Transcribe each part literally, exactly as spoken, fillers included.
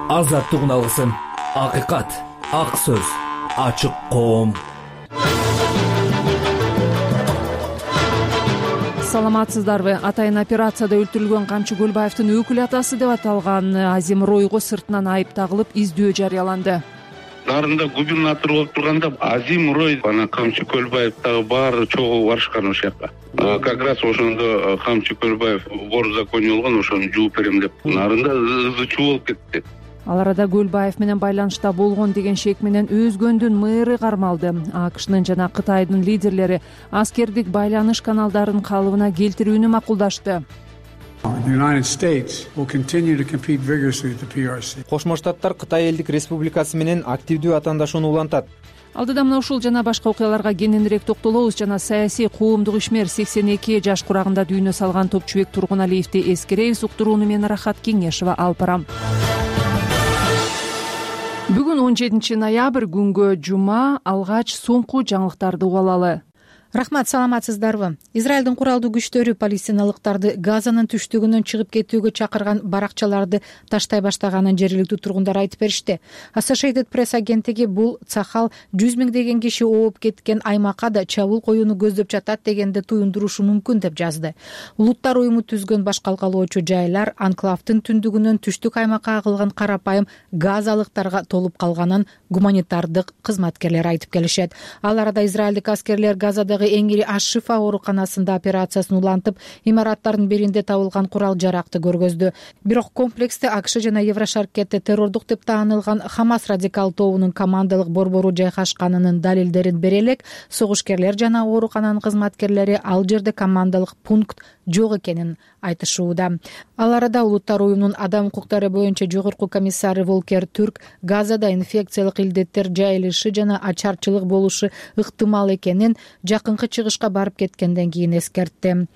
азаттыгын алгысың. Акыйкат, ак сөз, ачык коом. Саламатсыздарбы? Атайын операцияда өлтүрүлгөн Камчы Көлбаевдин өкүл атасы деп аталган Азим Ройго сыртынан айып тагылып издөө жарыяланды. Нарында губернатор болуп турганда Азим Рой бана Камчы Көлбаев дагы баары чогуу барышкан ошол жака. Как раз ошондо Камчы Көлбаев вор в законе болгон, ошону жууп берем деп нарында ызы чуу болуп кетти. Ал арада Көлбаев менен байланышта болгон деген шек менен Өзгөндүн мэры кармалды. АКШнын жана Кытайдын лидерлери аскердик байланыш каналдарын калыбына келтирүүнү макулдашты. Кошмо Штаттар Кытай элдик республикасы менен активдүү атаандашууну улантат. Алдыда мына ушул жана башка окуяларга кененирээк токтолобуз. Жана саясий коомдук ишмер сексен эки жаш курагында дүйнө салган Топчубек Тургуналиевди эскеребиз. Уктурууну мен Рахат Кеңешова алып барам. Бүгүн он жетинчи ноябрь, күнгө жума. Алгач соңку жаңылыктарды угуп алалы. Рахмат, саламатсыздарбы? Израилдин куралдуу күчтөрү палестиналыктарды Газанын түштүгүнөн чыгып кетүүгө чакырган баракчаларды таштай баштаганын жергиликтүү тургундар айтып беришти. Associated Press агенттиги бул цахал жүз миңдеген киши ооп кеткен аймакка да чабуул коюуну көздөп жатат дегенди туюндурушу мүмкүн деп жазды. Улуттар уюму түзгөн баш калкалоочу жайлар анклавдын түндүгүнөн түштүк аймакка агылган карапайым газалыктарга толуп калганын гуманитардык кызматкерлер айтып келишет. Ал арада израилдик аскерлер Газадагы эң ири Аш-Шифа ооруканасында операциясын улантып, имараттардын биринде табылган курал жаракты көргөздү. Бирок комплексте АКШ жана Еврошаркетте террордук деп таанылган Хамас радикал тобунун командалык борбору жайгашканынын далилдерин бере элек, согушкерлер жана оорукананын кызматкерлери ал жерде командалык пункт жок экенин айтышууда. Ал арада Улуттар уюмунун адам укуктары боюнча жогорку комиссары Волкер Түрк Газада инфекциялык илдеттер жайылышы жана ачарчылык болушу ыктымал экенин жакынкы чыгышка барып кеткенден кийин эскертти.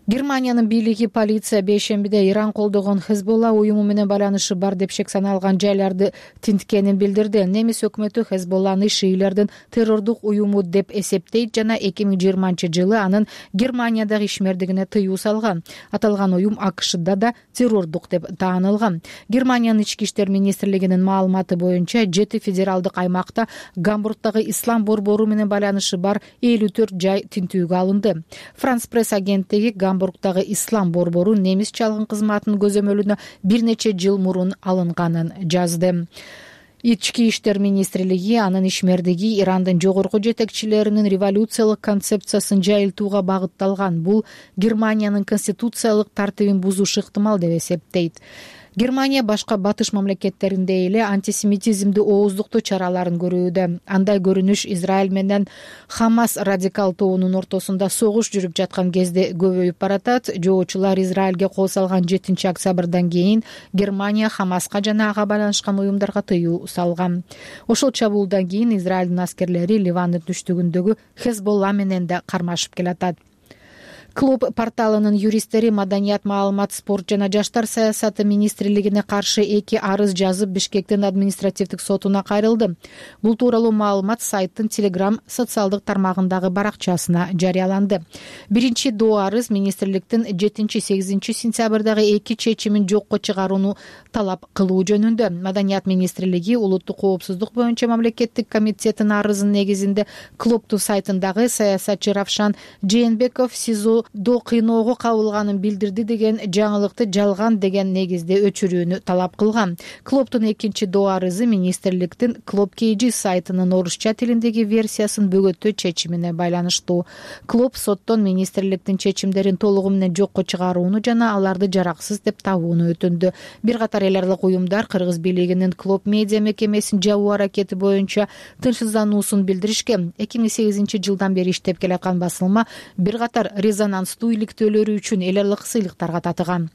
Германиянын бийлиги полиция бейшембиде Иран колдогон Хезболла уюму менен байланышы бар деп шек саналган жайларды тинткенин билдирди. Немис өкмөтү Хезболланы шиилердин террордук уюму деп эсептейт жана эки миң жыйырманчы жылы анын Германиядагы ишмердигине тыюу салган. Аталган уюм АКШда да террордук деп таанылган. Германиянын ички иштер министрлигинин маалыматы боюнча жети федералдык аймакта Гамбургдагы ислам борбору менен байланышы бар элүү төрт жай тинтүүгө алынды. Франс пресс агенттиги Гамбургдагы ислам борбору немис чалгын кызматынын көзөмөлүнө бир нече жыл мурун алынганын жазды. Ички иштер министрлиги анын ишмердиги Ирандын жогорку жетекчилеринин революциялык концепциясын жайылтууга багытталган. Бул Германиянын конституциялык тартибин бузушу ыктымал деп эсептейт. Германия башка батыш мамлекеттеринде эле антисемитизмди ооздуктоо чараларын көрүүдө. Андай көрүнүш Израиль менен Хамас радикал тобунун ортосунда согуш жүрүп жаткан кезде көбөйүп баратат. Жоочулар Израилге кол салган жетинчи октябрдан кийин Германия Хамаска жана ага байланышкан уюмдарга тыюу салган. Ошол чабуулдан кийин Израилдин аскерлери Ливандын түштүгүндөгү Хезболла менен да кармашып келатат. Клуб порталынын юристтери маданият, маалымат, спорт жана жаштар саясаты министрлигине каршы эки арыз жазып Бишкектин административдик сотуна кайрылды. Бул тууралуу маалымат сайттын Telegram социалдык тармагындагы баракчасына жарыяланды. Биринчи доо арыз министрликтин жетинчи-сегизинчи сентябрдагы эки чечимин жокко чыгарууну талап кылуу жөнүндө. Маданият министрлиги улуттук коопсуздук боюнча мамлекеттик комитетинин арызынын негизинде клубтун сайтындагы саясатчы Равшан Жээнбеков СИЗО до кыйноого кабылганын билдирди деген жаңылыкты жалган деген негизде өчүрүүнү талап кылган. Клубтун экинчи доо арызы министрликтин Клуб Кейджи сайтынын орусча тилиндеги версиясын бөгөттөө чечимине байланыштуу. Клуб соттон министрликтин чечимдерин толугу менен жокко чыгарууну жана аларды жараксыз деп табууну өтүндү. Бир катар эл аралык уюмдар Кыргыз бийлигинин Клуб медиа мекемесин жабуу аракети боюнча тынчсыздануусун билдиришкен. эки миң сегизинчи жылдан бери иштеп келаткан басылма бир катар резонанстуу иликтөөлөрү үчүн эл аралык сыйлыктарга татыган.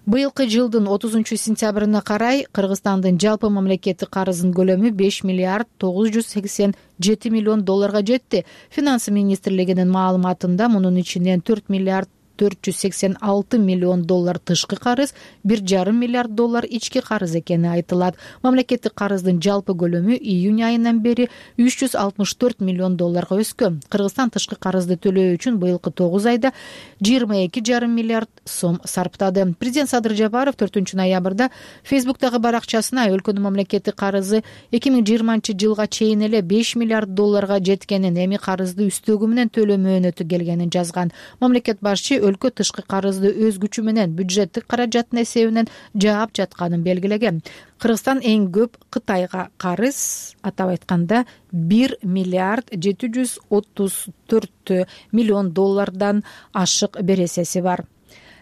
Быйылкы жылдын отузунчу сентябрына карай Кыргызстандын жалпы мамлекеттик карызынын көлөмү беш миллиард тогуз жүз сексен жети миллион долларга жетти. Финансы министрлигинин маалыматында мунун ичинен төрт миллиард төрт жүз сексен алты миллион доллар тышкы карыз, бир жарым миллиард доллар ички карыз экени айтылат. Мамлекеттик карыздын жалпы көлөмү июнь айынан бери үч жүз алтымыш төрт миллион долларга өскөн. Кыргызстан тышкы карызды төлөө үчүн быйылкы тогуз айда жыйырма эки жарым миллиард сом сарптады. Президент Садыр Жапаров төртүнчү ноябрда Фейсбуктагы баракчасына өлкөнүн мамлекеттик карызы эки миң жыйырманчы жылга чейин эле беш миллиард долларга жеткенин, эми карызды үстөгү менен төлөө мөөнөтү келгенин жазган. Мамлекет башчы өлкө тышкы карызды өз күчү менен бюджеттик каражаттын эсебинен жаап жатканын белгилеген. Кыргызстан эң көп Кытайга карыз, атап айтканда бир миллиард жети жүз отуз төрт миллион доллардан ашык бересеси бар.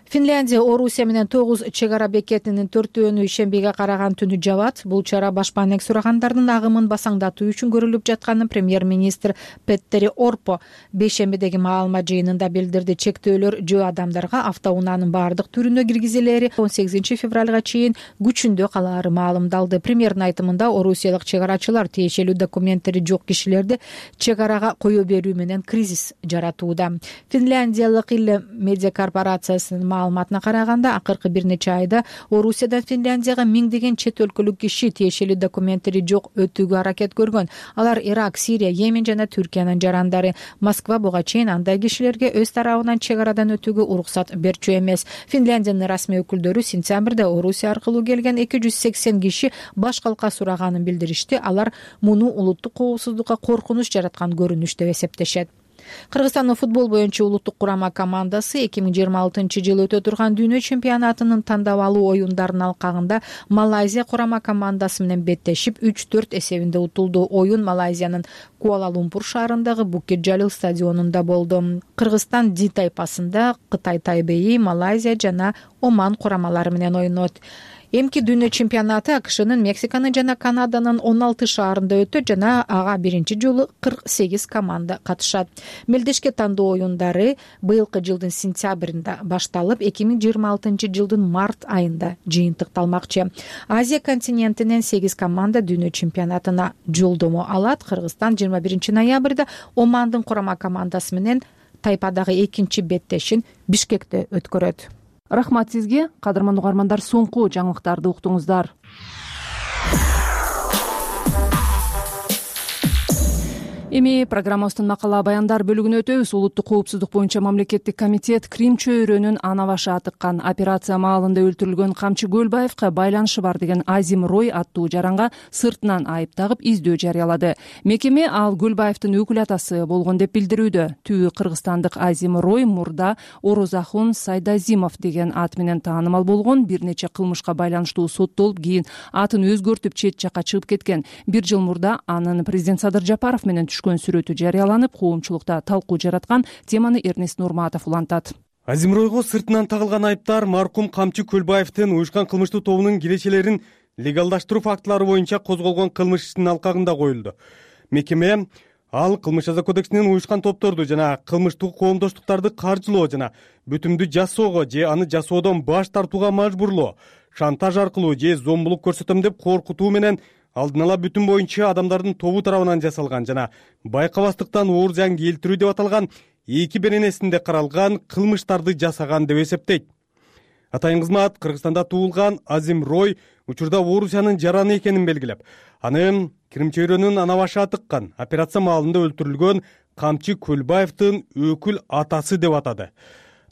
Финляндия Орусия менен тогуз чек ара бекетинин төртөөнү ишембиге караган түнү жабат. Бул чара башпаанек сурагандардын агымын басаңдатуу үчүн көрүлүп жатканын премьер-министр Петтери Орпо бейшембидеги маалымат жыйынында билдирди. Чектөөлөр жөө адамдарга автоунаанын баардык түрүнө киргизилери он сегизинчи февралга чейин күчүндө калаары маалымдалды. Премьердин айтымында орусиялык чек арачылар тиешелүү документтери жок кишилерди чек арага кое берүү менен кризис жаратууда. Финляндиялык Ille медиа корпорациясынын маалыматына караганда, акыркы бир нече айда Орусиядан Финляндияга миңдеген чет өлкөлүк киши тиешелүү документтери жок өтүүгө аракет көргөн. Алар Ирак, Сирия, Йемен жана Түркиянын жарандары. Москва буга чейин андай кишилерге өз тарабынан чек арадан өтүүгө уруксат берчү эмес. Финляндиянын расмий өкүлдөрү сентябрда Орусия аркылуу келген эки жүз сексен киши баш калка сураганын билдиришти. Алар муну улуттук коопсуздукка коркунуч жараткан көрүнүш деп эсептешет. Кыргызстандын футбол боюнча улуттук курама командасы эки миң жыйырма алтынчы жылы өтө турган дүйнө чемпионатынын тандабалуу оюндарынын алкагында Малайзия курама командасы менен беттешип үч төрт эсебинде утулду. Оюн Малайзиянын Куала-Лумпур шаарындагы Букет Жалил стадионунда болду. Кыргызстан Ди тайпасында Кытай Тайбэи, Малайзия жана Оман курамалары менен ойнойт. Эмки дүйнө чемпионаты АКШнын, Мексиканын жана Канаданын он алты шаарында өтөт жана ага биринчи жолу кырк сегиз команда катышат. Мелдешке тандоо оюндары быйылкы жылдын сентябрында башталып, эки миң жыйырма алтынчы жылдын март айында жыйынтыкталмакчы. Азия континентинен сегиз команда дүйнө чемпионатына жолдомо алат. Кыргызстан жыйырма биринчи ноябрда Омандын курама командасы менен тайпадагы экинчи беттешин Бишкекте өткөрөт. Рахмат сизге, кадырман угармандар, соңку жаңылыктарды уктуңуздар. Эми программабыздын макала баяндар бөлүгүнө өтөбүз. Улуттук коопсуздук боюнча мамлекеттик комитет Крим чөйрөнүн ана башы атыккан операция маалында өлтүрүлгөн Камчы Көлбаевка байланышы бар деген Азим Рой аттуу жаранга сыртынан айып тагып издөө жарыялады. Мекеме ал Көлбаевдин өкүл атасы болгон деп билдирүүдө. Түбү кыргызстандык Азим Рой мурда Орозахун Сайдазимов деген ат менен таанымал болгон, бир нече кылмышка байланыштуу соттолуп, кийин атын өзгөртүп чет жакка чыгып кеткен. Бир жыл мурда анын президент Садыр Жапаров менен сүрөтү жарыяланып, коомчулукта талкуу жараткан. Теманы Эрнест Нурматов улантат. Азим Ройго сыртынан тагылган айыптар маркум Камчы Көлбаевдин уюшкан кылмыштуу тобунун кирешелерин легалдаштыруу фактылары боюнча козголгон кылмыш ишинин алкагында коюлду. Мекеме ал кылмыш жаза кодексинин уюшкан топторду жана кылмыштуу коомдоштуктарды каржылоо жана бүтүмдү жасоого же аны жасоодон баш тартууга мажбурлоо, шантаж аркылуу же зомбулук көрсөтөм деп коркутуу менен алдын ала бүтүм боюнча адамдардын тобу тарабынан жасалган жана байкабастыктан оор зыян келтирүү деп аталган эки беренесинде каралган кылмыштарды жасаган деп эсептейт. Атайын кызмат Кыргызстанда туулган Азим Рой учурда Орусиянын жараны экенин белгилеп, аны Крим чөйрөнүн ана башы атыккан операция маалында өлтүрүлгөн Камчы Көлбаевдин өкүл атасы деп атады.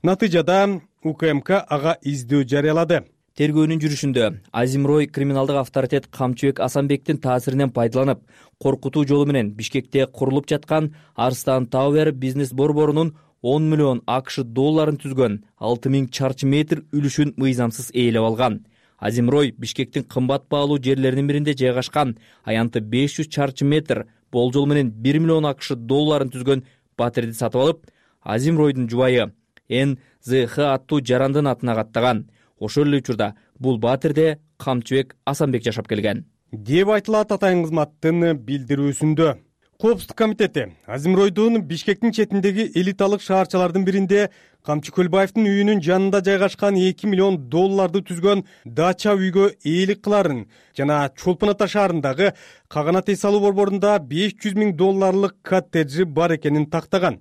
Натыйжада УКМК ага издөө жарыялады. Тергөөнүн жүрүшүндө Азим Рой криминалдык авторитет Камчыбек Асанбектин таасиринен пайдаланып, коркутуу жолу менен Бишкекте курулуп жаткан Арстан Тауэр бизнес борборунун он миллион АКШ долларын түзгөн алты миң чарчы метр үлүшүн мыйзамсыз ээлеп алган. Азим Рой Бишкектин кымбат баалуу жерлеринин биринде жайгашкан аянты беш жүз чарчы метр болжол менен бир миллион АКШ долларын түзгөн батирди сатып алып, Азим Ройдун жубайы Эн Зэ Хэ аттуу жарандын атына каттаган. Ошол эле учурда бул батирде Камчыбек Асанбек жашап келген деп айтылат атайын кызматтын билдирүүсүндө. Коопсуздук комитети Азим Ройдун Бишкектин четиндеги элиталык шаарчалардын биринде Камчы Көлбаевдин үйүнүн жанында жайгашкан эки миллион долларды түзгөн дача үйгө ээлик кыларын жана Чолпон Ата шаарындагы каганат эс алуу борборунда беш жүз миң долларлык коттеджи бар экенин тактаган.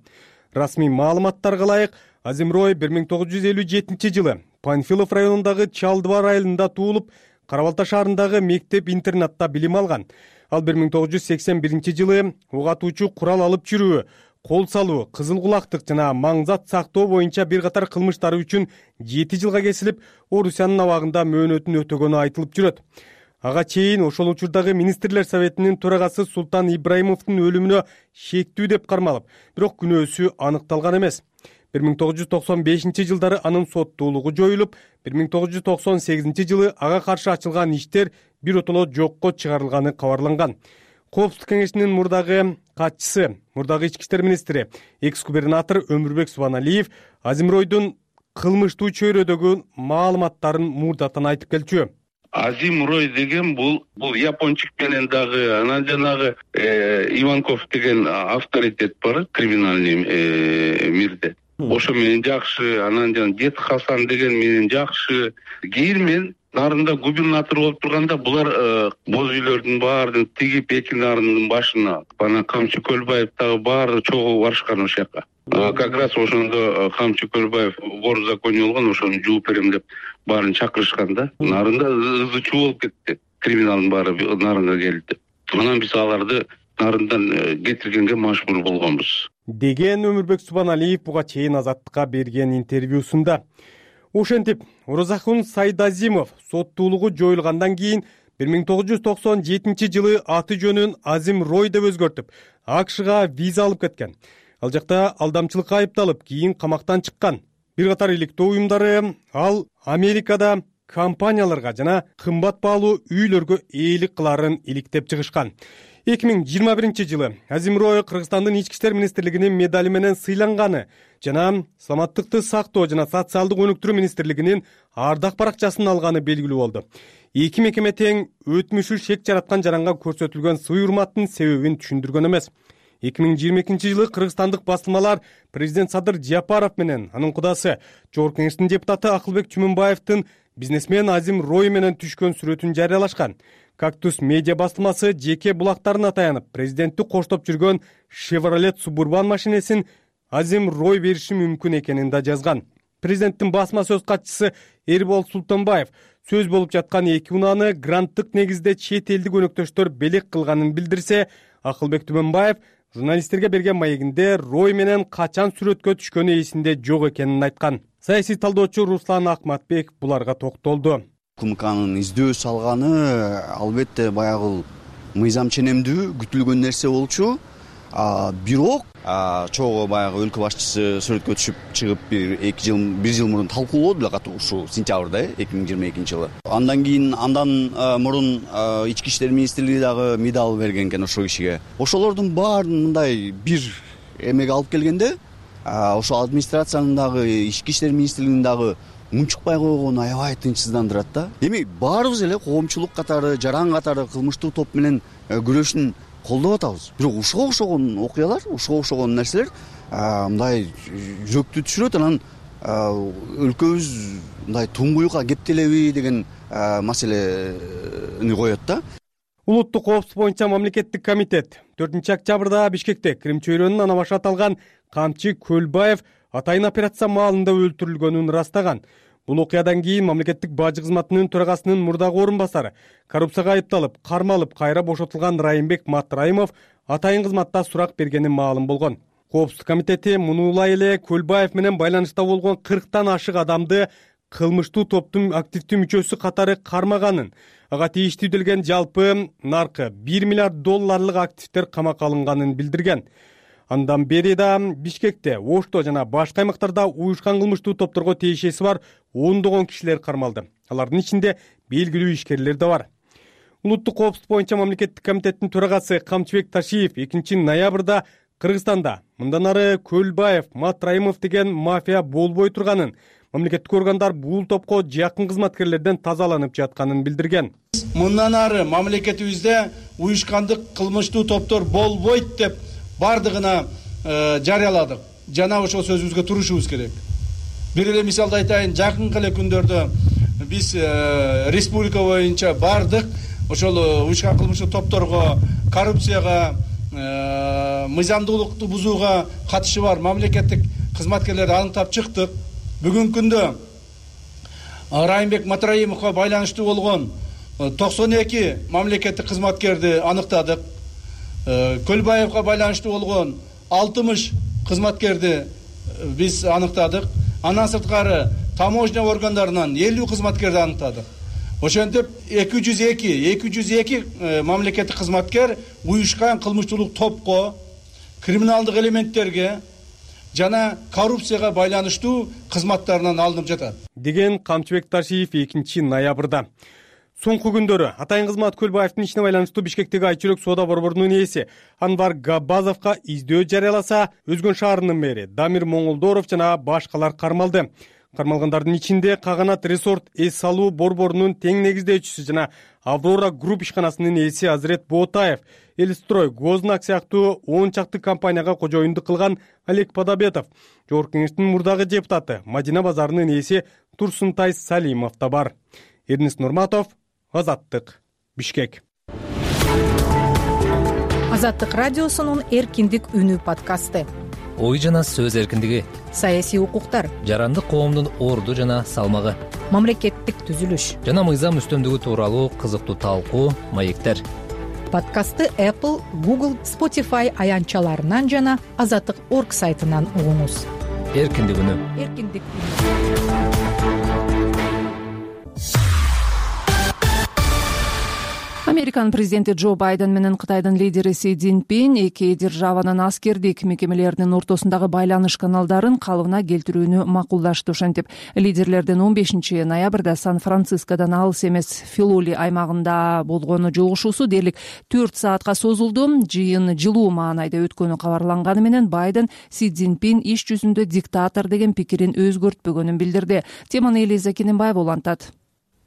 Расмий маалыматтарга ылайык, Азимрой бир миң тогуз жүз элүү жетинчи жылы Панфилов районундагы Чалдыбар айылында туулуп, Кара Балта шаарындагы мектеп-интернатта билим алган. Ал бир миң тогуз жүз сексен биринчи жылы ок атуучу курал алып жүрүү, кол салуу, кызыл кулактык жана маңзат сактоо боюнча бир катар кылмыштары үчүн жети жылга кесилип, Орусиянын абагында мөөнөтүн өтөгөнү айтылып жүрөт. Ага чейин ошол учурдагы министрлер советинин төрагасы Султан Ибраимовдун өлүмүнө шектүү деп кармалып, бирок күнөөсү аныкталган эмес. бир миң тогуз жүз токсон бешинчи жылдары анын соттуулугу жоюлуп, бир миң тогуз жүз токсон сегизинчи жылы ага каршы ачылган иштер биротоло жокко чыгарылганы кабарланган. Коопсуздук кеңешинин мурдагы катчысы, мурдагы ички иштер министри, экс-губернатор Өмүрбек Субаналиев Азимройдун кылмыштуу чөйрөдөгү маалыматтарын мурдатан айтып келчү. Азимрой деген бул бул япончук менен дагы анан жанагы Иванков деген авторитет бар криминальный мирде. Ошо менен жакшы, анан жана Дед Хасан деген менен жакшы. Кийин мен нарында губернатор болуп турганда булар боз үйлөрдүн баарын тигип эки нарындын башына бана Камчы Көлбаев дагы баары чогуу барышкан ошол жака. Как раз ошондо Камчы Көлбаев вор в законе болгон, ошону жууп берем деп баарын чакырышкан да. Нарында ызы чуу болуп кетти. Криминалдын баары нарынга келди. Анан биз аларды нарындан кетиргенге мажбур болгонбуз деген Өмүрбек Субаналиев буга чейин Азаттыкка берген интервьюсунда. Ошентип, Оразакун Сайдазимов соттуулугу жоюлгандан кийин бир миң тогуз жүз токсон жетинчи жылы аты жөнүн Азимрой деп өзгөртүп, АКШга виза алып кеткен. Ал жакта алдамчылыкка айыпталып, кийин камактан чыккан. Бир катар иликтөө уюмдары ал Америкада компанияларга жана кымбат баалуу үйлөргө ээлик кыларын иликтеп чыгышкан. эки миң жыйырма биринчи жылы Азимрой Кыргызстандын ички иштер министрлигинин медали менен сыйланганы жана саламаттыкты сактоо жана социалдык өнүктүрүү министрлигинин ардак баракчасын алганы белгилүү болду. Эки мекеме тең өтмүшү шек жараткан жаранга көрсөтүлгөн сый урматтын себебин түшүндүргөн эмес. эки миң жыйырма экинчи жылы кыргызстандык басылмалар президент Садыр Жапаров менен анын кудасы Жогорку Кеңештин депутаты Акылбек Чүмүнбаевдин бизнесмен Азимрой менен түшкөн сүрөтүн жарыялашкан. Кактус медиа басылмасы жеке булактарына таянып, президентти коштоп жүргөн Chevrolet Suburban машинесин Азимрой бериши мүмкүн экенин да жазган. Президенттин басма сөз катчысы Эрбол Султанбаев сөз болуп жаткан эки унааны гранттык негизде чет элдик өнөктөштөр белек кылганын билдирсе, Акылбек Түмөнбаев журналисттерге берген маегинде Рой менен качан сүрөткө түшкөнү эсинде жок экенин айткан. Саясий талдоочу Руслан Акматбек буларга токтолду. УКМКнын издөө салганы албетте баягы мыйзам ченемдүү күтүлгөн нерсе болчу. Бирок чогуу баягы өлкө башчысы сүрөткө түшүп чыгып бир эки жыл бир жыл мурун талкуулоду эле катуу ушул сентябрда эки миң жыйырма экинчи жылы. Андан кийин андан мурун ички иштер министрлиги дагы медал берген экен ошол кишиге. Ошолордун баарын мындай бир эмеге алып келгенде ошол администрациянын дагы ички иштер министрлигинин дагы унчукпай койгону аябай тынчсыздандырат да. Эми баарыбыз эле коомчулук катары, жаран катары кылмыштуу топ менен күрөшүн колдоп атабыз. Бирок ушуга окшогон окуялар, ушуга окшогон нерселер мындай жүрөктү түшүрөт, анан өлкөбүз мындай туңгуюкка кептелеби деген маселени коет да. Улуттук коопсуздук боюнча мамлекеттик комитет төртүнчү октябрда Бишкекте Крим чөйрөнүн ана башы аталган Камчы Көлбаев атайын операция маалында өлтүрүлгөнүн ырастаган. Бул окуядан кийин мамлекеттик бажы кызматынын төрагасынын мурдагы орун басары, коррупцияга айыпталып, кармалып, кайра бошотулган Райымбек Матраимов атайын кызматта сурак бергени маалым болгон. Коопсуздук комитети мунулай эле Көлбаев менен байланышта болгон кырктан ашык адамды кылмыштуу топтун активдүү мүчөсү катары кармаганын, ага тийиштүү делген жалпы наркы бир миллиард долларлык активдер камакка алынганын билдирген. Андан бери да Бишкекте, Ошто жана башка аймактарда уюшкан кылмыштуу топторго тиешеси бар ондогон кишилер кармалды. Алардын ичинде белгилүү ишкерлер да бар. Улуттук коопсуздук боюнча мамлекеттик комитеттин төрагасы Камчыбек Ташиев экинчи ноябрда Кыргызстанда мындан ары Көлбаев, Матраимов деген мафия болбой турганын, мамлекеттик органдар бул топко жакын кызматкерлерден тазаланып жатканын билдирген. Мындан ары мамлекетибизде уюшкандык кылмыштуу топтор болбойт деп бардыгына жарыяладык. Жана ошол сөзүбүзгө турушубуз керек. Бир эле мисалды айтайын, жакынкы эле күндөрдө биз республика боюнча бардык ошол уюшкан кылмыштуу топторго, коррупцияга, мыйзамдуулукту бузууга катышы бар мамлекеттик кызматкерлерди аныктап чыктык. Бүгүнкү күндө Райымбек Матраимовго байланыштуу болгон токсон эки мамлекеттик кызматкерди аныктадык. Көлбаевга байланыштуу болгон алтымыш кызматкерди биз аныктадык. Андан сырткары таможня органдарынан элүү кызматкерди аныктадык. Ошентип эки жүз эки эки жүз эки мамлекеттик кызматкер уюшкан кылмыштуулук топко, криминалдык элементтерге жана коррупцияга байланыштуу кызматтарынан алынып жатат деген Камчыбек Ташиев экинчи ноябрда. Соңку күндөрү атайын кызмат Көлбаевдин ишине байланыштуу Бишкектеги Айчүрөк соода борборунун ээси Анвар Габбазовго издөө жарыяласа, Өзгөн шаарынын мэри Дамир Моңолдоров жана башкалар кармалды. Кармалгандардын ичинде Каганат Resort эс салуу борборунун тең негиздөөчүсү жана Аврора Групп ишканасынын ээси Азирет Боотаев, Элстрой, Гознак сыяктуу он чакты компанияга кожоюндук кылган Олег Подобетов, Жогорку Кеңештин мурдагы депутаты Мадина базарынын ээси Турсунтай Салимов да бар. Эрнис Нурматов, Азаттык, Бишкек. Азаттык радиосунун эркиндик үнү подкасты. Ой жана сөз эркиндиги, Саясий укуктар, жарандык коомдун орду жана салмагы, мамлекеттик түзүлүш жана мыйзам үстөмдүгү тууралуу кызыктуу талкуу, маектер. Подкастты Apple, Google, Spotify аянтчаларынан жана азаттык точка орг сайтынан угуңуз. Эркиндик үнү. Эркиндик үнү. Американын президенти Джо Байден менен Кытайдын лидери Си Цзиньпин эки державанын аскердик мекемелеринин ортосундагы байланыш каналдарын калыбына келтирүүнү макулдашты. Ошентип, лидерлердин он бешинчи ноябрда Сан-Францискодон алыс эмес Филоли аймагында болгону жолугушуусу дээрлик төрт саатка созулду. Жыйын жылуу маанайда өткөнү кабарланганы менен Байден Си Цзиньпин иш жүзүндө диктатор деген пикирин өзгөртпөгөнүн билдирди. Теманы Элиза Кененбаева улантат.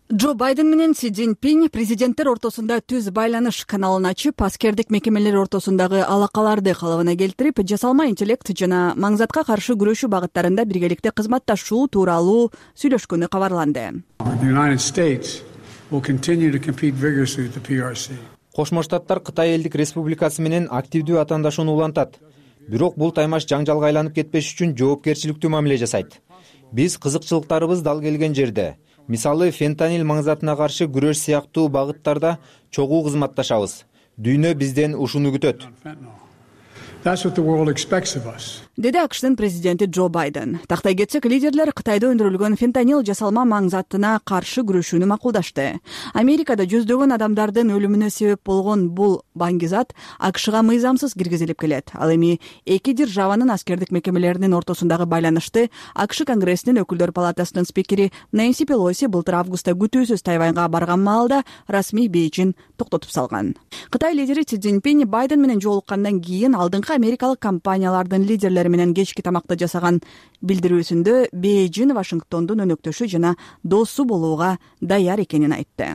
Джо Байден менен Си Цзиньпин президенттер ортосунда түз байланыш каналын ачып, аскердик мекемелер ортосундагы алакаларды калыбына келтирип, жасалма интеллект жана маңзатка каршы күрөшүү багыттарында биргеликте кызматташуу тууралуу сүйлөшкөнү кабарланды. Кошмо Штаттар Кытай Элдик Республикасы менен активдүү атаандашууну улантат. Бирок бул таймаш жаңжалга айланып кетпеш үчүн жоопкерчиликтүү мамиле жасайт. Биз кызыкчылыктарыбыз дал келген жерде, мисалы фентанил маңзатына каршы күрөш сыяктуу багыттарда чогуу кызматташабыз. Дүйнө бизден ушуну күтөт. Деди АКШтын президенти Джо Байден. Тактай кетсек, лидерлер Кытайда өндүрүлгөн фентанил жасалма маңзатына каршы күрөшүүнү макулдашты. Америкада жүздөгөн адамдардын өлүмүнө себеп болгон бул баңгизат АКШга мыйзамсыз киргизилип келет. Ал эми эки державанын аскердик мекемелеринин ортосундагы байланышты АКШ Конгрессинин өкүлдөр палатасынын спикери Нэнси Пелоси былтыр августта күтүүсүз Тайваньга барган маалда расмий бейжин токтотуп салган. Кытай лидери Си Цзиньпин Байден менен жолуккандан кийин алдыңкы америкалык компаниялардын лидерлери менен кечки тамакты жасаган билдирүүсүндө Бейжин Вашингтондун өнөктөшү жана досу болууга даяр экенин айтты.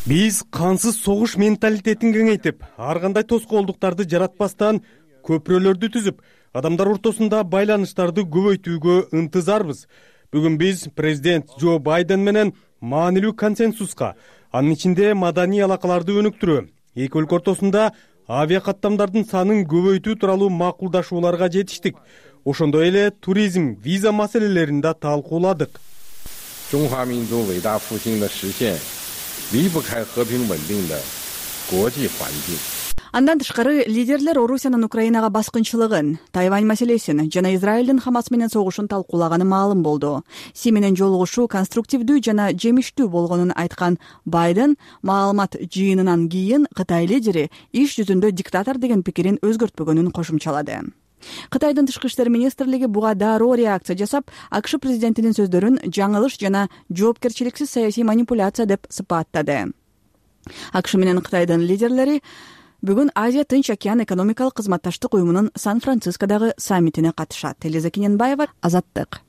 Биз кансыз согуш менталитетин кеңейтип, ар кандай тоскоолдуктарды жаратпастан көпүрөлөрдү түзүп, адамдар ортосунда байланыштарды көбөйтүүгө ынтызарбыз. Бүгүн биз президент Джо Байден менен маанилүү консенсуска, анын ичинде маданий алакаларды өнүктүрүү, эки өлкө ортосунда авиакаттамдардын санын көбөйтүү тууралуу макулдашууларга жетиштик. Ошондой эле туризм, виза маселелерин да талкууладык. Андан тышкары лидерлер Орусиянын Украинага баскынчылыгын, Тайвань маселесин жана Израилдин Хамас менен согушун талкуулаганы маалым болду. Си менен жолугушуу конструктивдүү жана жемиштүү болгонун айткан Байден маалымат жыйынынан кийин Кытай лидери иш жүзүндө диктатор деген пикирин өзгөртпөгөнүн кошумчалады. Кытайдын тышкы иштер министрлиги буга дароо реакция жасап, АКШ президентинин сөздөрүн жаңылыш жана жоопкерчиликсиз саясий манипуляция деп сыпаттады. АКШ менен Кытайдын лидерлери бүгүн Азия Тынч океан экономикалык кызматташтык уюмунун Сан-Францискодагы саммитине катышат. Элиза Кененбаева, Азаттык.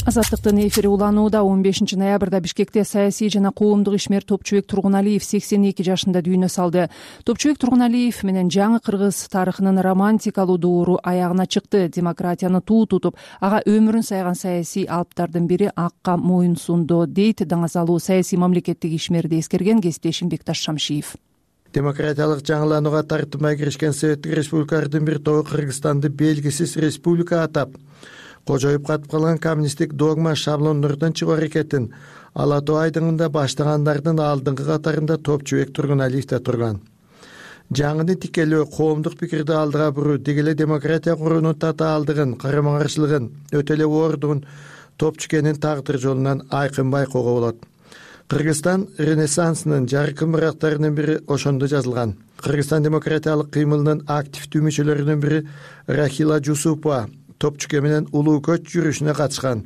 Азаттыктын эфири уланууда. он бешинчи ноябрда Бишкекте саясий жана коомдук ишмер Топчубек Тургуналиев сексен эки жашында дүйнө салды. Топчубек Тургуналиев менен жаңы кыргыз тарыхынын романтикалуу доору аягына чыкты. Демократияны туу тутуп, ага өмүрүн сайган саясий алыптардын бири акка моюн сунду, дейт даңазалуу саясий мамлекеттик ишмерди эскерген кесиптешим Бекташ Шамшиев. демократиялык жаңыланууга тартынбай киришкен советтик республикалардын бир тобу Кыргызстанды белгисиз республика атап, кожоюп катып калган коммунисттик догма шаблондордон чыгуу аракетин Ала Тоо айдыңында баштагандардын алдыңкы катарында Топчубек Тургуналиев да турган. Жаңыны тикелөө, коомдук пикирди алдыга буруу, деги эле демократия куруунун татаалдыгын, карама каршылыгын, өтө эле оордугун Топчукенин тагдыр жолунан айкын байкоого болот. Кыргызстан Ренессансынын жаркын бырактарынын бири ошондо жазылган. Кыргызстан демократиялык кыймылынын активдүү мүчөлөрүнүн бири Рахила Жусупова Топчуке менен улуу көч жүрүшүнө катышкан.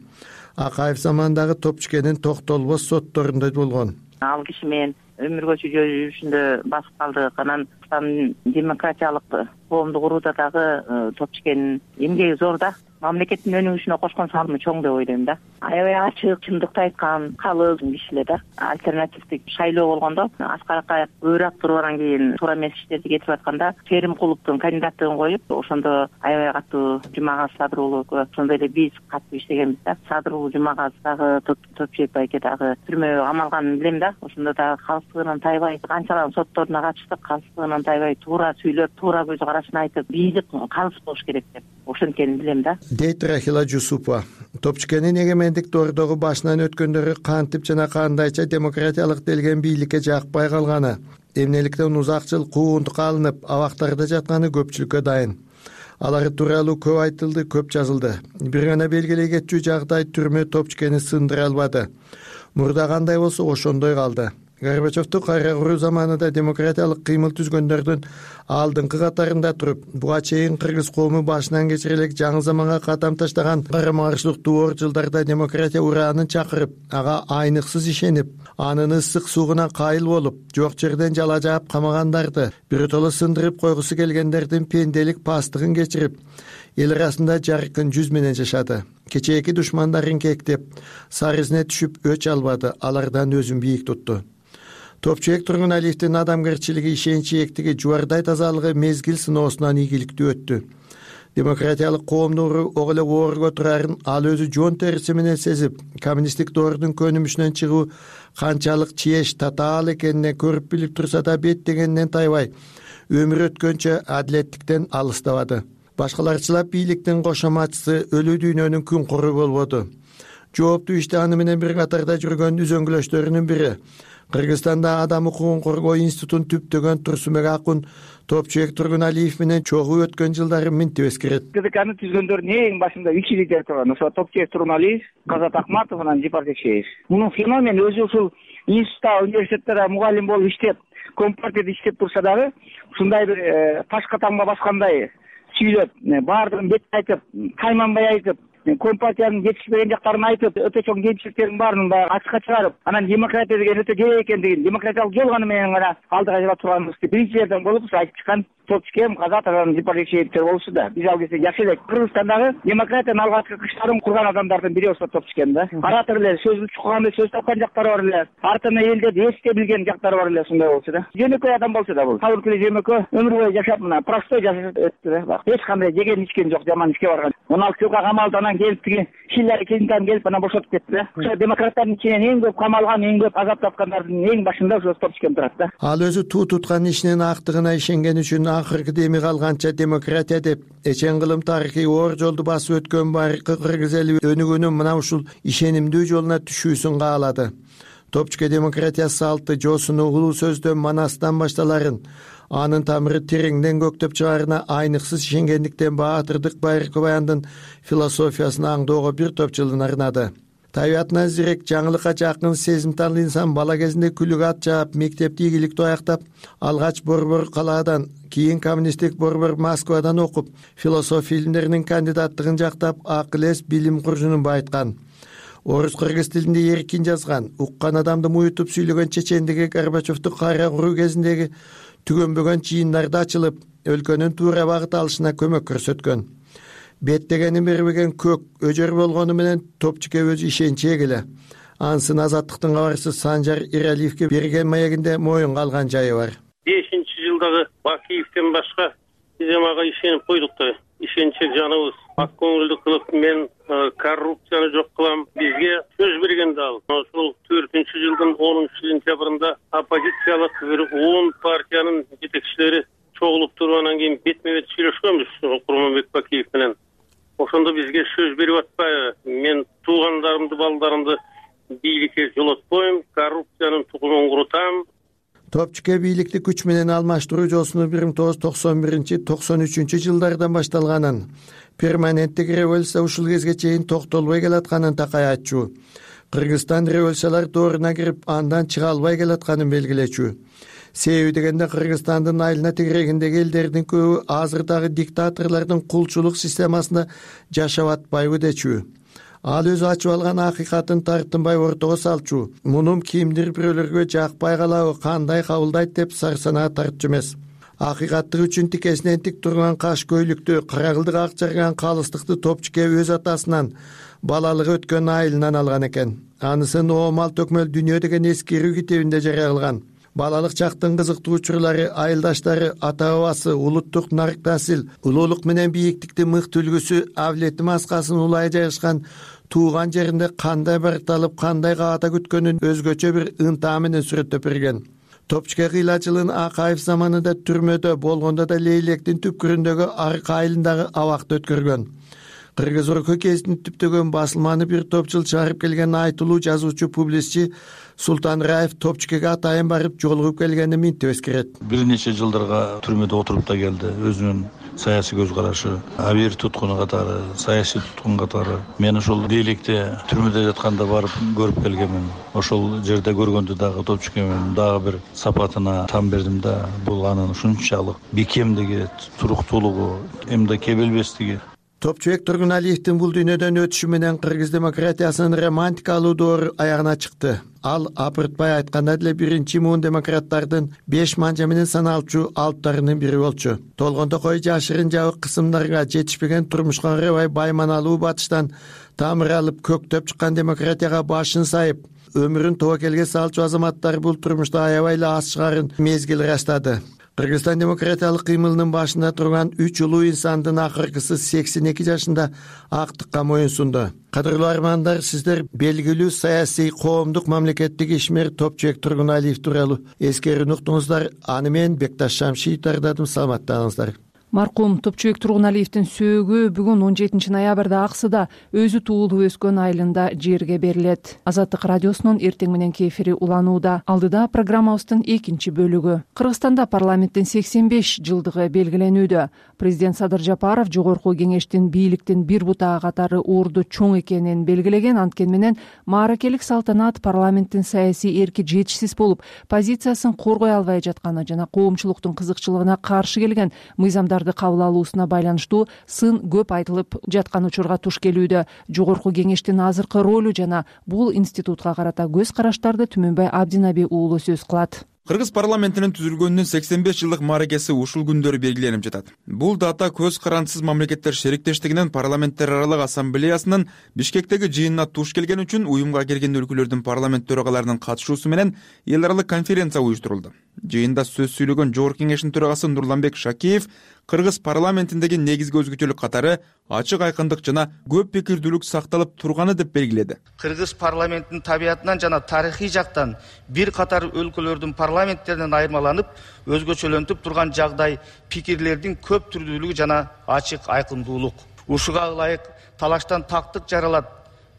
Акаев заманындагы Топчукенин токтолбос сотторунда болгон. Ал киши менен өмүр көчү жүрүшүндө басып калдык. Анан демократиялык коомду курууда дагы Топчукенин эмгеги зор да. Мамлекеттин өнүгүшүнө кошкон салымы чоң деп ойлойм да. Аябай ачык, чындыкты айткан, калыс киши эле да. Альтернативдик шайлоо болгондо Аскар Акаев өйрөк тургандан кийин туура эмес иштерди кетирип атканда Керимкуловдун кандидаттыгын коюп, ошондо аябай катуу Жумагаз Садыруулу, ошондой эле биз катуу иштегенбиз да. Садыруулу Жумагаз дагы Топчубек байке дагы түрмөгө камалганын билем да. Ошондо дагы калыстыгынан тайбай канчалан сотторуна катыштык, калыстыгынан тайбай туура сүйлөп, туура көз карашын айтып, бийик калыс болуш керек деп ошенткенин билем да. Дейт Рахила Жусупова. Топчукенин эгемендик доордогу башынан өткөндөрү кантип жана кандайча демократиялык делген бийликке жакпай калганы, эмнеликтен узак жыл куугунтукка алынып, абактарда жатканы көпчүлүккө дайын. Алар тууралуу көп айтылды, көп жазылды. Бир гана белгилей кетчү жагдай түрмө Топчукени сындыра албады. Мурда кандай болсо ошондой калды. Горбачевду кайра куруу заманында демократиялык кыймыл түзгөндөрдүн алдыңкы катарында туруп, буга чейин кыргыз коому башынан кечире элек жаңы заманга кадам таштаган карама каршылык доор жылдарда демократия ураанын чакырып, ага айныксыз ишенип, анын ысык суугуна кайыл болуп, жок жерден жала жаап камагандарды, биротоло сындырып койгусу келгендердин пенделик пастыгын кечирип, эл арасында жаркын жүз менен жашады. Кечээки душмандарын кектеп, сар изине түшүп өч албады, алардан өзүн бийик тутту. Топчубек Тургуналиевдин адамгерчилиги, ишенчээктиги, жубардай тазалыгы мезгил сыноосунан ийгиликтүү өттү. Демократиялык коомду ого эле оорго турарын ал өзү жон териси менен сезип, коммунисттик доордун көнүмүшүнөн чыгуу канчалык чиеш, татаал экенине көрүп билип турса да беттегенинен тайбай, өмүр өткөнчө адилеттиктен алыстабады. Башкаларчылап бийликтин кошоматчысы өлүү дүйнөнүн күн куру болбоду. Жооптуу иште аны менен бир катарда жүргөн үзөңгүлөштөрүнүн бири Кыргызстанда адам укугун коргоо институтун түптөгөн Турсунбек Акун Топчубек Тургуналиев менен чогуу өткөн жылдары минтип эскерет. КДКны түзгөндөрдүн эң башында үч лидер турган. Ошо Топчубек Тургуналиев, Казат Акматов менен Жипар Жекшеев. Мунун феномен өзү ушул институтта, университеттерде мугалим болуп иштеп, компартияда иштеп турса дагы, ушундай бир ташка тамга баскандай сүйлөп, баардыгын бет айтып, тайманбай айтып, компартиянын жетишпеген жактарын айтып, өтө чоң кемчиликтердин баарын баягы ачыкка чыгарып, анан демократия деген өтө керек экендигин, демократиялык жол гана менен гана алдыга жыла турганыбызды биринчилерден болуп айтып чыккан Топчубек, Казат, анан Жипар Жекшеевтер болушу да. Биз ал кезде жакшы элек. Кыргызстандагы демократиянын алгачкы кыштарын курган адамдардын бири болсо Топчубек да. Оратор эле, сөз чукканда сөз тапкан жактары бар эле. Артына элдерди эсте билген жактары бар эле, ушундай болчу да. Жөнөкөй адам болчу да бул. Табылкылы жөнөкөй өмүр бою жашап, мына простой жашап өттү да. Эч кандай жеген ичкен жок, жаман ишке барган. он алты жылга камалды, анан келип тиги Хиллари Клинтон келип анан бошотуп кетти да. Ошо демократтардын ичинен эң көп камалган, эң көп азап тапкандардын эң башында ошо Топчубек турат да. Ал өзү туу туткан ишинин актыгына ишенген үчүн акыркы деми калганча демократия деп эчен кылым тарыхый оор жолду басып өткөн байыркы кыргыз эли өнүгүүнүн мына ушул ишенимдүү жолуна түшүүсүн каалады. Топчубек демократия салты, жосуну улуу сөздөн, манастан башталарын, анын тамыры тереңден көктөп чыгаарына айныксыз ишенгендиктен Баатырдык байыркы баяндын философиясын аңдоого бир топ жылын арнады. Табиятына зирек, жаңылыкка жакын, сезимтал инсан бала кезинде күлүк ат жаап, мектепти ийгиликтүү аяктап, алгач Борбор калаадан, кийин коммунисттик Борбор Москвадан окуп, философия илимдеринин кандидаттыгын жактап, акыл эс билим куржунун байыткан. Орус кыргыз тилинде эркин жазган, уккан адамды муютуп сүйлөгөн чечендиги Горбачевду кайра куруу кезиндеги түгөнбөгөн чыйындарда ачылып, өлкөнүн туура багыт алышына көмөк көрсөткөн. Беттегенин бербеген көк өжөр болгону менен Топчубек өзү ишенчи эгеле. Ансын азаттыктын кабарчысы Санжар Иралиевге берген маегинде моюнга алган жайы бар. бешинчи жылдагы Бакиевден башка биз ага ишенип койдук да. ишенчек жаныбыз. Ак көңүлдүү кылып мен коррупцияны жок кылам. Бизге сөз бергенде ал ошол төртүнчү жылдын онунчу сентябрында оппозициялык бир он партиянын жетекчилери чогулуп туруп анан кийин бетме бет сүйлөшкөнбүз Курманбек Бакиев менен. Ошондо бизге сөз берип атпайбы? Мен туугандарымды, балдарымды бийликке жолотпойм, коррупциянын тукумун курутам. Топчуке бийликти күч менен алмаштыруу жолсуну бир миң тогуз жүз токсон биринчи токсон үчүнчү жылдардан башталганын, перманенттик революция ушул кезге чейин токтолбой келатканын такай айтчу. Кыргызстан революциялар дооруна кирип, андан чыга албай келатканын белгилечү. Себеби дегенде Кыргызстандын айылына тегерегиндеги элдердин көбү азыр дагы диктаторлордун кулчулук системасында жашап атпайбы дечү. Ал өзү ачып алган акыйкатын тартынбай ортого салчу. Мунун кимдир бирөөлөргө жакпай калабы, кандай кабылдайт деп сарсанаа тартчу эмес. Акыйкаттык үчүн тикесинен тик турган каш көйлүктү, карагылдык ак жарган калыстыкты Топчуке өз атасынан, балалыгы өткөн айылынан алган экен. Анысын Оомал төкмөл дүйнө деген эскерүү китебинде жарыялган. Балалык чактын кызыктуу учурлары, айылдаштары, ата бабасы, улуттук нарк-насил, улуулук менен бийиктиктин мыкты үлгүсү, авлети маскасын улай жайгашкан тууган жеринде кандай баркталып, кандай каата күткөнүн өзгөчө бир ынтаа менен сүрөттөп берген. Топчуке кыйла жылын Акаев заманында түрмөдө болгондо да Лейлектин түпкүрүндөгү арк айылындагы абакта өткөргөн. Кыргыз Орко кезин түптөгөн басылманы бир топ жыл чыгарып келген айтылуу жазуучу, публицистчи Султан Раев Топчукеге атайын барып жолугуп келгенин минтип эскерет. Бир нече жылдарга түрмөдө отуруп да келди. Өзүнүн саясий көз карашы, абийир туткуну катары, саясий туткун катары. Мен ошол Лейликте түрмөдө жатканда барып көрүп келгенмин. Ошол жерде көргөндө дагы Топчукенин дагы бир сапатына там бердим да. Бул анын ушунчалык бекемдиги, туруктуулугу, эмне кебелбестиги. Топчубек Тургуналиевдин бул дүйнөдөн өтүшү менен кыргыз демократиясынын романтикалуу доору аягына чыкты. Ал апыртпай айтканда деле биринчи муун демократтардын беш манжа менен саналчу алыптарынын бири болчу. Толгондокой жашырын жабык кысымдарга жетишпеген турмушка карабай байманалуу батыштан тамыр алып көктөп чыккан демократияга башын сайып, өмүрүн тобокелге салчу азаматтар бул турмушта аябай эле аз чыгарын мезгил ырастады. Кыргызстан демократиялык кыймылынын башында турган үч улуу инсандын акыркысы сексен эки жашында актыкка моюн сунду. Кадырлуу армандар, сиздер белгилүү саясий коомдук мамлекеттик ишмер Топчубек Тургуналиев тууралуу эскерүүнү уктуңуздар. Аны мен Бекташ Шамшиев даярдадым. Саламаттаңыздар. Маркум Топчубек Тургуналиевдин сөөгү бүгүн он жетинчи ноябрда Аксыда өзү туулуп өскөн айылында жерге берилет. Азаттык радиосунун эртең мененки эфири уланууда. Алдыда программабыздын экинчи бөлүгү. Кыргызстанда парламенттин сексен беш жылдыгы белгиленүүдө. Президент Садыр Жапаров жогорку кеңештин бийликтин бир бутагы катары орду чоң экенин белгилеген. Анткени менен мааракелик салтанат парламенттин саясий эрки жетишсиз болуп, позициясын коргой албай жатканы жана коомчулуктун кызыкчылыгына каршы келген мыйзамдар кабыл алуусуна байланыштуу сын көп айтылып жаткан учурга туш келүүдө. Жогорку кеңештин азыркы ролу жана бул институтка карата көз караштарды Түмөнбай Абдинаби уулу сөз кылат. Кыргыз парламентинин түзүлгөнүнүн сексен беш жылдык мааракеси ушул күндөрү белгиленип жатат. Бул дата көз карандысыз мамлекеттер шериктештигинин парламенттер аралык ассамблеясынын Бишкектеги жыйынына туш келген үчүн уюмга кирген өлкөлөрдүн парламент төрагаларынын катышуусу менен эл аралык конференция уюштурулду. Жыйында сөз сүйлөгөн Жогорку кеңештин төрагасы Нурланбек Шакеев Кыргыз парламентиндеги негизги өзгөчөлүк катары ачык айкындык жана көп пикирдүүлүк сакталып турганы деп белгиледи. Кыргыз парламентинин табиятынан жана тарыхый жактан бир катар өлкөлөрдүн парламенттеринен айырмаланып, өзгөчөлөнтүп турган жагдай пикирлердин көп түрдүүлүгү жана ачык айкындуулук. Ушуга ылайык талаштан тактык жаралат,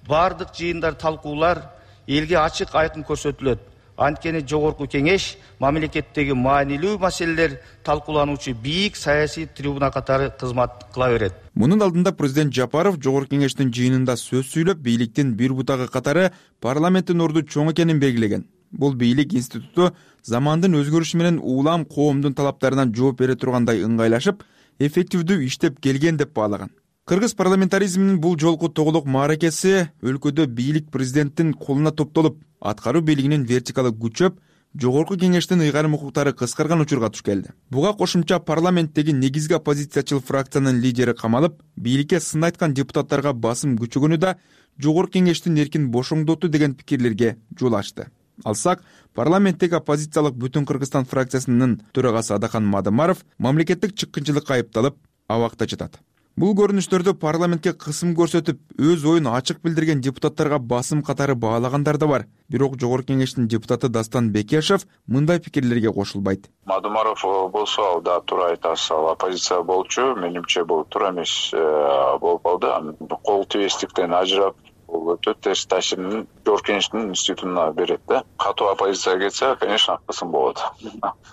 бардык жыйындар, талкуулар элге ачык айкын көрсөтүлөт. Анткени Жогорку кеңеш мамлекеттеги маанилүү маселелер талкуулануучу бийик саясий трибуна катары кызмат кыла берет. Мунун алдында президент Жапаров Жогорку кеңештин жыйынында сөз сүйлөп, бийликтин бир бутагы катары парламенттин орду чоң экенин белгилеген. Бул бийлик институту замандын өзгөрүшү менен улам коомдун талаптарынан жооп бере тургандай ыңгайлашып, эффективдүү иштеп келген деп баалаган. Кыргыз парламентаризминин бул жолку тоголук мааракеси өлкөдө бийлик президенттин колуна топтолуп, аткаруу бийлигинин вертикалы күчөп, Жогорку кеңештин ыйгарым укуктары кыскарган учурга туш келди. Буга кошумча парламенттеги негизги оппозициячыл фракциянын лидери камалып, бийликке сын айткан депутаттарга басым күчөгөнү да Жогорку кеңештин эркин бошоңдоту деген пикирлерге жол ачты. Алсак, парламенттеги оппозициялык Бүтүн Кыргызстан фракциясынын төрагасы Адакан Мадымаров мамлекеттик чыккынчылыкка айыпталып, абакта жатат. Бул көрүнүштөрдө парламентке кысым көрсөтүп, өз оюн ачык билдирген депутаттарга басым катары баалагандар да бар. Бирок Жогорку Кеңештин депутаты Дастан Бекешев мындай пикирлерге кошулбайт. Мадумаров болсо, ал да туура айтасыз, ал оппозиция болчу, менимче бул туура эмес болуп калды. Кол тийбестиктен ажырап, бул өтө терс таасирин Жогорку Кеңештин институтуна берет да. Катуу оппозицияга кетсе, конечно, кысым болот.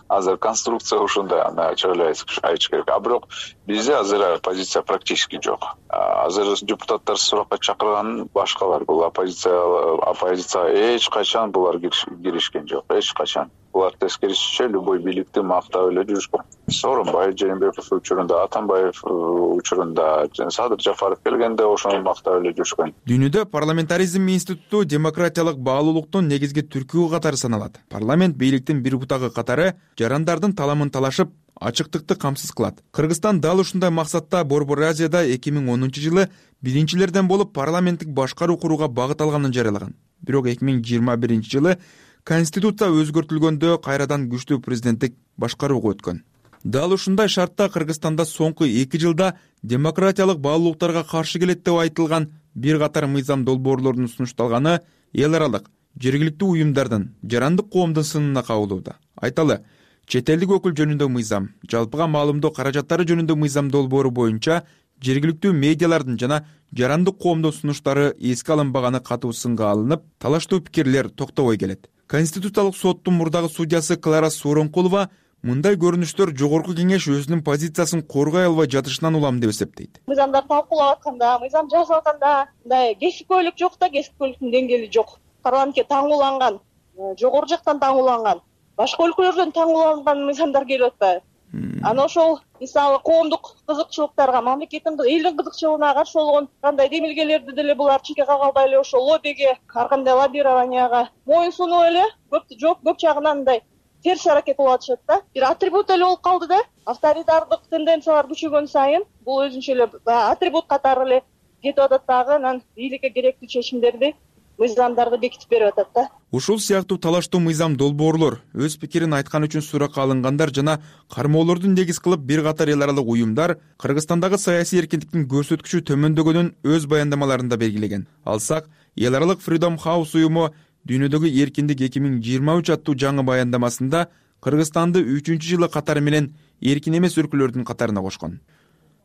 Азыр конструкция ушундай, аны чойлой айтыш керек. А бирок бизде азыр оппозиция практически жок. Азыр депутаттар суракка чакырган башкалар. Бул оппозиция оппозиция эч качан булар киришкен жок, эч качан. Булар тескерисинче любой бийликти мактап эле жүрүшкөн. Сооронбай Жээнбеков учурунда, Атамбаев учурунда, Садыр Жапаров келгенде ошону мактап эле жүрүшкөн. Дүйнөдө парламентаризм институту демократиялык баалуулуктун негизги түркүбү катары саналат. Парламент бийликтин бир бутагы катары жарандардын таламын талашып, ачыктыкты камсыз кылат. Кыргызстан дал ушундай максатта Борбор Азияда эки миң онунчу жылы биринчилерден болуп парламенттик башкаруу курууга багыт алганын жарыялаган. Бирок эки миң жыйырма биринчи жылы Конституция өзгөртүлгөндө кайрадан күчтүү президенттик башкарууга өткөн. Дал ушундай шартта Кыргызстанда соңку эки жылда демократиялык баалуулуктарга каршы келет деп айтылган бир катар мыйзам долбоорлорунун сунушталганы эл аралык жергиликтүү уюмдардын, жарандык коомдун сынына кабылууда. Айталы, чет элдик өкүл жөнүндө мыйзам, жалпыга маалымдоо каражаттары жөнүндө мыйзам долбоору боюнча жергиликтүү медиалардын жана жарандык коомдун сунуштары эске алынбаганы катуу сынга алынып, талаштуу пикирлер токтобой келет. Конституциялык соттун мурдагы судьясы Клара Сооронкулова мындай көрүнүштөр Жогорку Кеңеш өзүнүн позициясын коргой албай жатышынан улам деп эсептейт. Мыйзамдар талкуулап атканда, мыйзам жазып атканда мындай кесипкөйлүк жок да, кесипкөйлүктүн деңгээли жок. Парламентке таңууланган, жогору жактан таңууланган, башка өлкөлөрдөн таңууланган мыйзамдар келип атпайбы? Анан ошол мисалы коомдук кызыкчылыктарга, мамлекеттин элдин кызыкчылыгына каршы болгон кандай демилгелерди деле булар чекке кагалбай эле ошол лоббиге, ар кандай лоббированияга моюн сунуп эле көп жок көп жагынан мындай терс аракет болуп атышат да. Бир атрибут эле болуп калды да. Авторитардык тенденциялар күчөгөн сайын бул өзүнчө эле атрибут катары эле кетип атат дагы, анан бийликке керектүү чечимдерди, мыйзамдарды бекитип берип атат да. Ушул сыяктуу талаштуу мыйзам долбоорлор, өз пикирин айткан үчүн суракка алынгандар жана кармоолорду негиз кылып бир катар эл аралык уюмдар Кыргызстандагы саясий эркиндиктин көрсөткүчү төмөндөгөнүн өз баяндамаларында белгилеген. Алсак, эл аралык Freedom House уюму Дүйнөдөгү эркиндик эки миң жыйырма үч аттуу жаңы баяндамасында Кыргызстанды үчүнчү жылы катары менен эркин эмес өлкөлөрдүн катарына кошкон.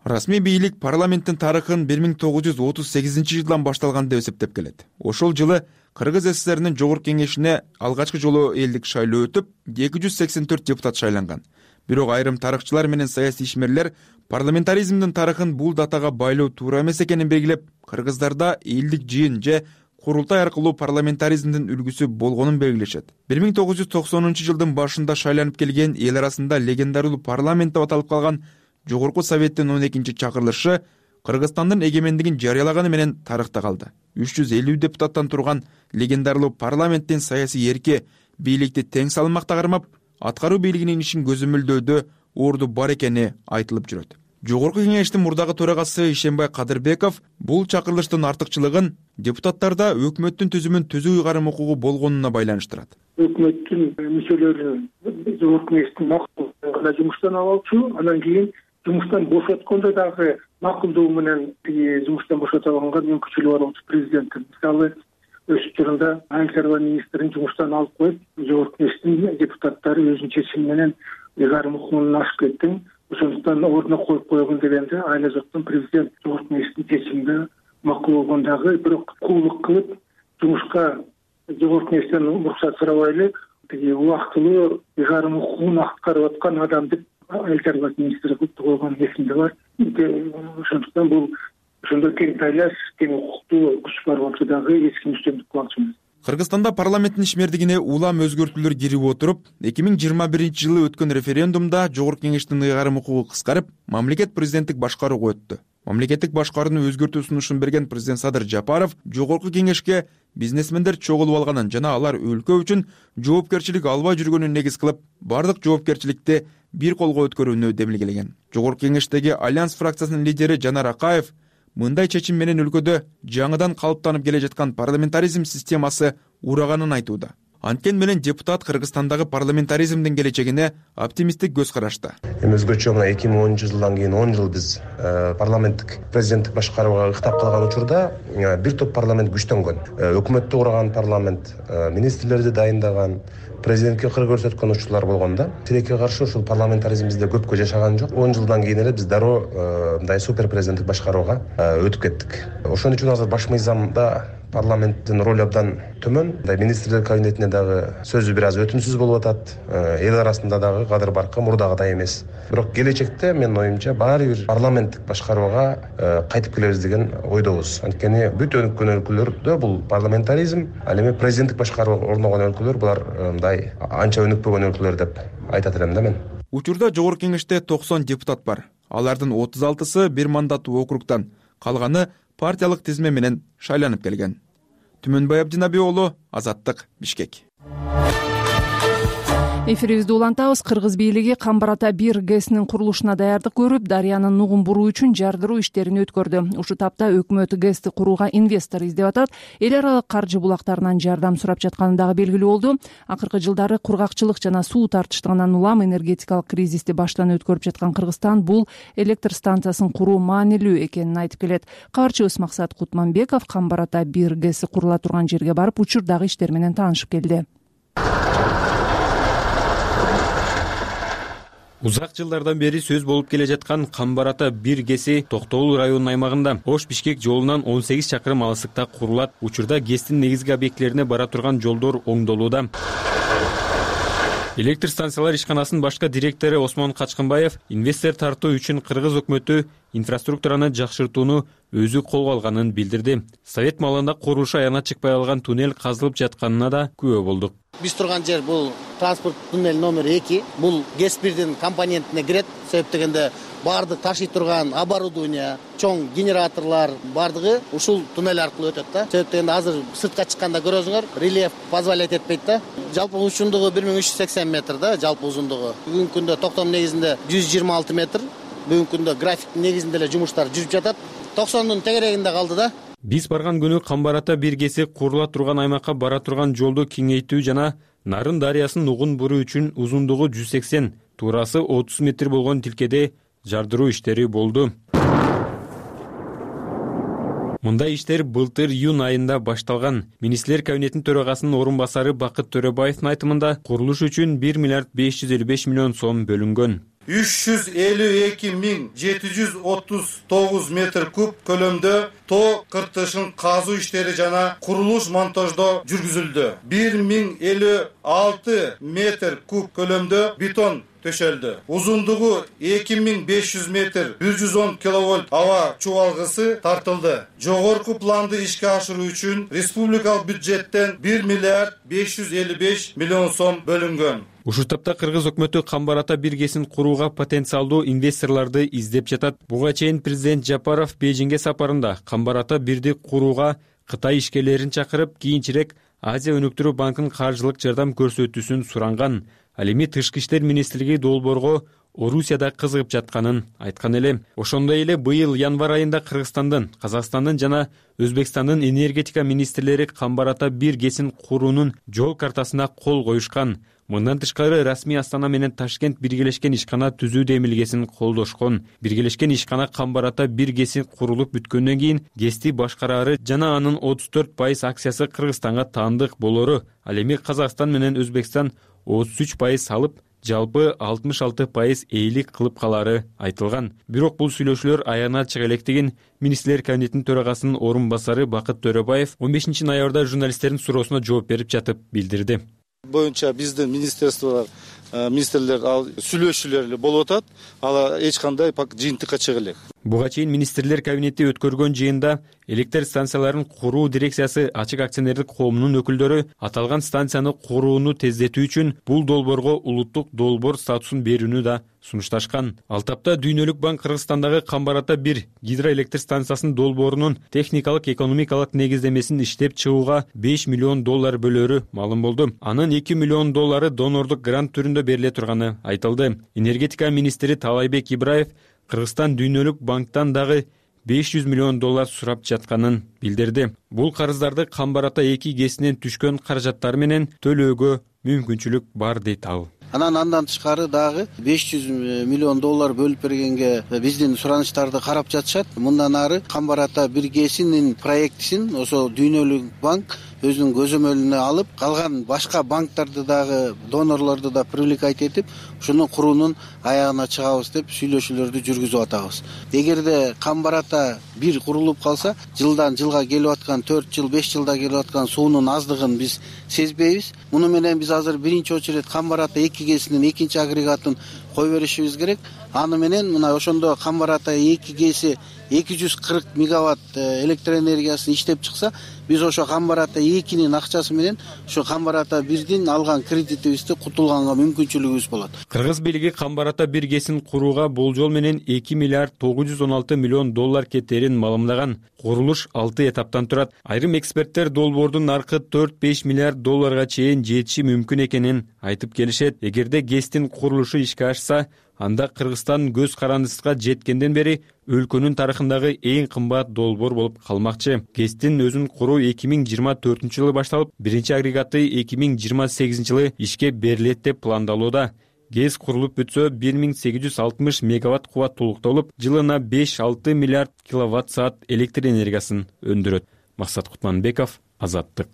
Расмий бийлик парламенттин тарыхын бир миң тогуз жүз отуз сегизинчи жылдан башталган деп эсептеп келет. Ошол жылы Кыргыз ССРнин Жогорку Кеңешине алгачкы жолу элдик шайлоо өтүп, эки жүз сексен төрт депутат шайланган. Бирок айрым тарыхчылар менен саясий ишмерлер парламентаризмдин тарыхын бул датага байлоо туура эмес экенин белгилеп, кыргыздарда элдик жыйын же курултай аркылуу парламентаризмдин үлгүсү болгонун белгилешет. бир миң тогуз жүз токсонунчу жылдын башында шайланып келген эл арасында легендардуу парламент деп аталып калган Жогорку Советтин он экинчи чакырылышы Кыргызстандын эгемендигин жарыялаганы менен тарыхта калды. үч жүз элүү депутаттан турган легендарлуу парламенттин саясий эрки бийликти тең салмакта кармап, аткаруу бийлигинин ишин көзөмөлдөөдө орду бар экени айтылып жүрөт. Жогорку Кеңештин мурдагы төрагасы Ишенбай Кадырбеков бул чакырылыштын артыкчылыгын депутаттарда өкмөттүн түзүмүн түзүү ыйгарым укугу болгонуна байланыштырат. Өкмөттүн мүчөлөрү Жогорку Кеңештин макулдугуна жумуштан алчу, анан кийин жумуштан бошоткондо дагы макулдугу менен жумуштан бошото алганга мүмкүнчүлүгү бар болчу президенттин. Мисалы, өз учурунда айыл чарба министрин жумуштан алып коюп, Жогорку Кеңештин депутаттары өзүнүн чечими менен ыйгарым укугунан ашып кетти. Ошондуктан ордуна коюп койгон дегенде айла жоктон президент Жогорку Кеңештин чечимине макул болгондагы, бирок куулук кылып жумушка Жогорку Кеңештен уруксат сурабай эле тиги убактылуу ыйгарым укугун аткарып аткан адам деп айыл чарба министри кылып койгон эсимде бар. Ошондуктан бул ошондой тең тайлаш, тең укуктуу күч бар болчу дагы эч ким үстөмдүк кылмакчы эмес. Кыргызстанда парламенттин ишмердигине улам өзгөртүүлөр кирип отуруп, эки миң жыйырма биринчи жылы өткөн референдумда Жогорку Кеңештин ыйгарым укугу кыскарып, мамлекет президенттик башкарууга өттү. Мамлекеттик башкарууну өзгөртүү сунушун берген президент Садыр Жапаров Жогорку Кеңешке бизнесмендер чогулуп алганын жана алар өлкө үчүн жоопкерчилик албай жүргөнүн негиз кылып, бардык жоопкерчиликти бир колго өткөрүүнү демилгелеген. Жогорку Кеңештеги Альянс фракциясынын лидери Жанар Акаев мындай чечим менен өлкөдө жаңыдан калыптанып келе жаткан парламентаризм системасы ураганын айтууда. Анткени менен депутат Кыргызстандагы парламентаризмдин келечегине оптимисттик көз карашты. Эми өзгөчө мына эки миң онунчу жылдан кийин он жыл биз парламенттик президенттик башкарууга ыктап калган учурда бир топ парламент күчтөнгөн. Өкмөттү курган парламент, министрлерди дайындаган, президентке кыр көрсөткөн учурлар болгон да. Тилекке каршы ушул парламентаризм бизде көпкө жашаган жок. он жылдан кийин эле биз дароо мындай супер президенттик башкарууга өтүп кеттик. Ошон үчүн азыр баш мыйзамда парламенттин ролу абдан төмөн. Мындай министрлер кабинетине дагы сөзү бир аз өтүмсүз болуп атат. Эл арасында дагы кадыр баркы мурдагыдай эмес. Бирок келечекте менин оюмча баары бир парламенттик башкарууга кайтып келебиз деген ойдобуз. Анткени бүт өнүккөн өлкөлөрдө бул парламентаризм, ал эми президенттик башкаруу орногон өлкөлөр булар мындай анча өнүкпөгөн өлкөлөр деп айтат элем да мен. Учурда Жогорку Кеңеште токсон депутат бар. Алардын отуз алтысы бир мандаттуу округтан, калганы партиялык тизме менен шайланып келген. Түмөнбай Абдинаби уулу, Азаттык, Бишкек. Эфирибизди улантабыз. Кыргыз бийлиги Камбар ата бир гэсинин курулушуна даярдык көрүп, Дарыянын нугун буруу үчүн жардыруу иштерин өткөрдү. Ушул тапта өкмөт гэсти курууга инвестор издеп атат. Эл аралык каржы булактарынан жардам сурап жатканы дагы белгилүү болду. Акыркы жылдары кургакчылык жана суу тартыштыгынан улам энергетикалык кризисти баштан өткөрүп жаткан Кыргызстан бул электр станциясын куруу маанилүү экенин айтып келет. Кабарчыбыз Максат Кутманбеков Камбар ата бир гэси курула турган жерге барып, учурдагы иштер менен таанышып келди. Узак жылдардан бери сөз болуп келе жаткан Камбар ата бир гэси Токтогул районунун аймагында Ош-Бишкек жолунан он сегиз чакырым алыстыкта курулат. Учурда гэстин негизги объектилерине бара турган жолдор оңдолууда. Электр станциялар ишканасынын башкы директору Осмон Качкынбаев инвестор тартуу үчүн Кыргыз өкмөтү инфраструктураны жакшыртууну өзү колго алганын билдирди. Совет маалында курулушу аягына чыкпай калган туннель казылып жатканына да күбө болдук. Биз турган жер бул транспорт туннель номер эки. Бул гэс бирдин компонентине кирет. Себеп дегенде баардык ташый турган оборудование, чоң генераторлор баардыгы ушул туннель аркылуу өтөт да. Себеп дегенде азыр сыртка чыкканда көрөсүңөр, рельеф позволять этпейт да. Жалпы узундугу бир миң үч жүз сексен метр да, жалпы узундугу. Бүгүнкү күндө токтом негизинде жүз жыйырма алты метр. Бүгүнкү күндө графиктин негизинде эле жумуштар жүрүп жатат. токсондун тегерегинде калды да. Биз барган күнү Камбар ата бир гэси курула турган аймакка бара турган жолду кеңейтүү жана Нарын дарыясын нугун буруу үчүн узундугу жүз сексен, туурасы отуз метр болгон тилкеде жардыруу иштери болду. Мындай иштер былтыр июнь айында башталган. Министрлер кабинетинин төрагасынын орун басары Бакыт Төрөбаевдин айтымында курулуш үчүн бир миллиард беш жүз элүү беш миллион сом бөлүнгөн. үч жүз элүү эки миң жети жүз отуз тогуз метр куб көлөмдө тоо кыртышын казуу иштери жана курулуш монтаждоо жүргүзүлдү. бир миң элүү алты метр куб көлөмдө бетон төшөлдү. Узундугу эки миң беш жүз метр бир жүз он киловольт аба чубалгысы тартылды. Жогорку планды ишке ашыруу үчүн республикалык бюджеттен бир миллиард беш жүз элүү беш миллион сом бөлүнгөн. Ушул тапта Кыргыз өкмөтү Камбар ата бир гэсин курууга потенциалдуу инвесторлорду издеп жатат. Буга чейин президент Жапаров Бейжиңге сапарында Камбар ата бирди курууга Кытай ишкерлерин чакырып, кийинчерээк Азия өнүктүрүү банкынын каржылык жардам көрсөтүүсүн суранган. Ал эми Тышкы иштер министрлиги долбоорго Орусияда кызыгып жатканын айткан эле. Ошондой эле быйыл январь айында Кыргызстандын, Казакстандын жана Өзбекстандын энергетика министрлери Камбар ата бир гэсин куруунун жол картасына кол коюшкан. Мындан тышкары расмий Астана менен Ташкент биргелешкен ишкана түзүү демилгесин колдошкон. Биргелешкен ишкана Камбар ата бир гэси курулуп бүткөндөн кийин гэсти башкарары жана анын отуз төрт пайыз акциясы Кыргызстанга таандык болору. Ал эми Казакстан менен Өзбекстан отуз үч пайыз салып, жалпы алтымыш алты пайыз эйлик кылып калары айтылган. Бирок бул сүйлөшүүлөр аягына чыга электигин министрлер кабинетинин төрагасынын орун басары Бакыт Төрөбаев он бешинчи ноябрда журналисттердин суроосуна жооп берип жатып билдирди. Боюнча биздин министрликтер министрлер ал сүйлөшүүлөр эле болуп атат. Ал эч кандай жыйынтыкка чыга элек. Буга чейин министрлер кабинети өткөргөн жыйында электр станцияларын куруу дирекциясы ачык акционердик коомунун өкүлдөрү аталган станцияны курууну тездетүү үчүн бул долбоорго улуттук долбоор статусун берүүнү да сунушташкан. Ал тапта Дүйнөлүк банк Кыргызстандагы Камбар ата бир гидроэлектр станциясынын долбоорунун техникалык экономикалык негиздемесин иштеп чыгууга беш миллион доллар бөлөрү маалым болду. Анын эки миллион доллары донордук грант түрүндө бериле турганы айтылды. Энергетика министри Таалайбек Ибраев Кыргызстан Дүйнөлүк банктан дагы беш жүз миллион доллар сурап жатканын билдирди. Бул карыздарды Камбар-Ата эки ГЭСинен түшкөн каражаттар менен төлөөгө мүмкүнчүлүк бар дейт ал. Анан андан тышкары дагы беш жүз миллион доллар бөлүп бергенге биздин суранычтарды карап жатышат. Мындан ары Камбар-Ата бир ГЭСинин проектисин ошо Дүйнөлүк банк өзүнүн көзөмөлүнө алып, калган башка банктарды дагы, донорлорду да привлекать этип, ушуну куруунун аягына чыгабыз деп сүйлөшүүлөрдү жүргүзүп атабыз. Эгерде Камбар-Ата бир курулуп калса, жылдан жылга келип аткан төрт жыл, беш жылда келип аткан суунун аздыгын биз сезбейбиз. Муну менен биз азыр биринчи очередь Камбар-Ата эки ГЭСинин экинчи агрегатын кое беришибиз керек. Аны менен мына ошондо Камбар-Ата эки ГЭСи эки жүз кырк мегаватт электроэнергиясын иштеп чыкса, биз ошо Камбар-Ата экинин акчасы менен ошо Камбар-Ата бирдин алган кредитибизди кутулганга мүмкүнчүлүгүбүз болот. Кыргыз бийлиги Камбар-Ата бир ГЭСин курууга болжол менен эки миллиард тогуз жүз он алты миллион доллар кетерин маалымдаган. Курулуш алты этаптан турат. Айрым эксперттер долбоордун наркы төрт-беш миллиард долларга чейин жетиши мүмкүн экенин айтып келишет. Эгерде ГЭСтин курулушу ишке ашса, анда Кыргызстан көз карандысына жеткенден бери өлкөнүн тарыхындагы эң кымбат долбоор болуп калмакчы. ГЭСтин өзүн куруу эки миң жыйырма төртүнчү жылы башталып, биринчи агрегаты эки миң жыйырма сегизинчи жылы ишке берилет деп пландалууда. ГЭС курулуп бүтсө бир миң сегиз жүз алтымыш мегаватт кубаттуулуктолуп, жылына беш-алты миллиард киловатт саат электр энергиясын өндүрөт. Максат Кутманбеков, Азаттык.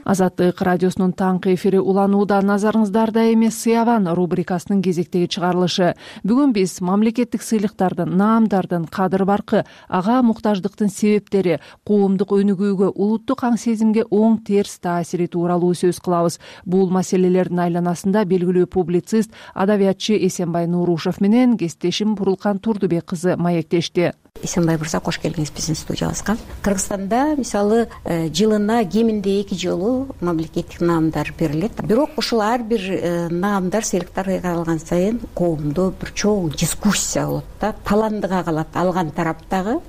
Азаттык радиосунун таңкы эфири уланууда. Назарыңыздарда эмес Сыяван рубрикасынын кезектеги чыгарылышы. Бүгүн биз мамлекеттик сыйлыктардын, наамдардын кадыр баркы, ага муктаждыктын себептери, коомдук өнүгүүгө, улуттук аң сезимге оң терс таасири тууралуу сөз кылабыз. Бул маселелердин айланасында белгилүү публицист, адабиятчы Эсенбай Нурушев менен кесиптешим Бурулкан Турдубек кызы маектешти. Эсенбай мырза, кош келдиңиз биздин студиябызга. Кыргызстанда мисалы жылына кеминде эки жолу мамлекеттик наамдар берилет. Бирок ушул ар бир наамдар, сыйлыктар алган сайын коомдо бир чоң дискуссия болот да, таландыга калат алган тараптагы.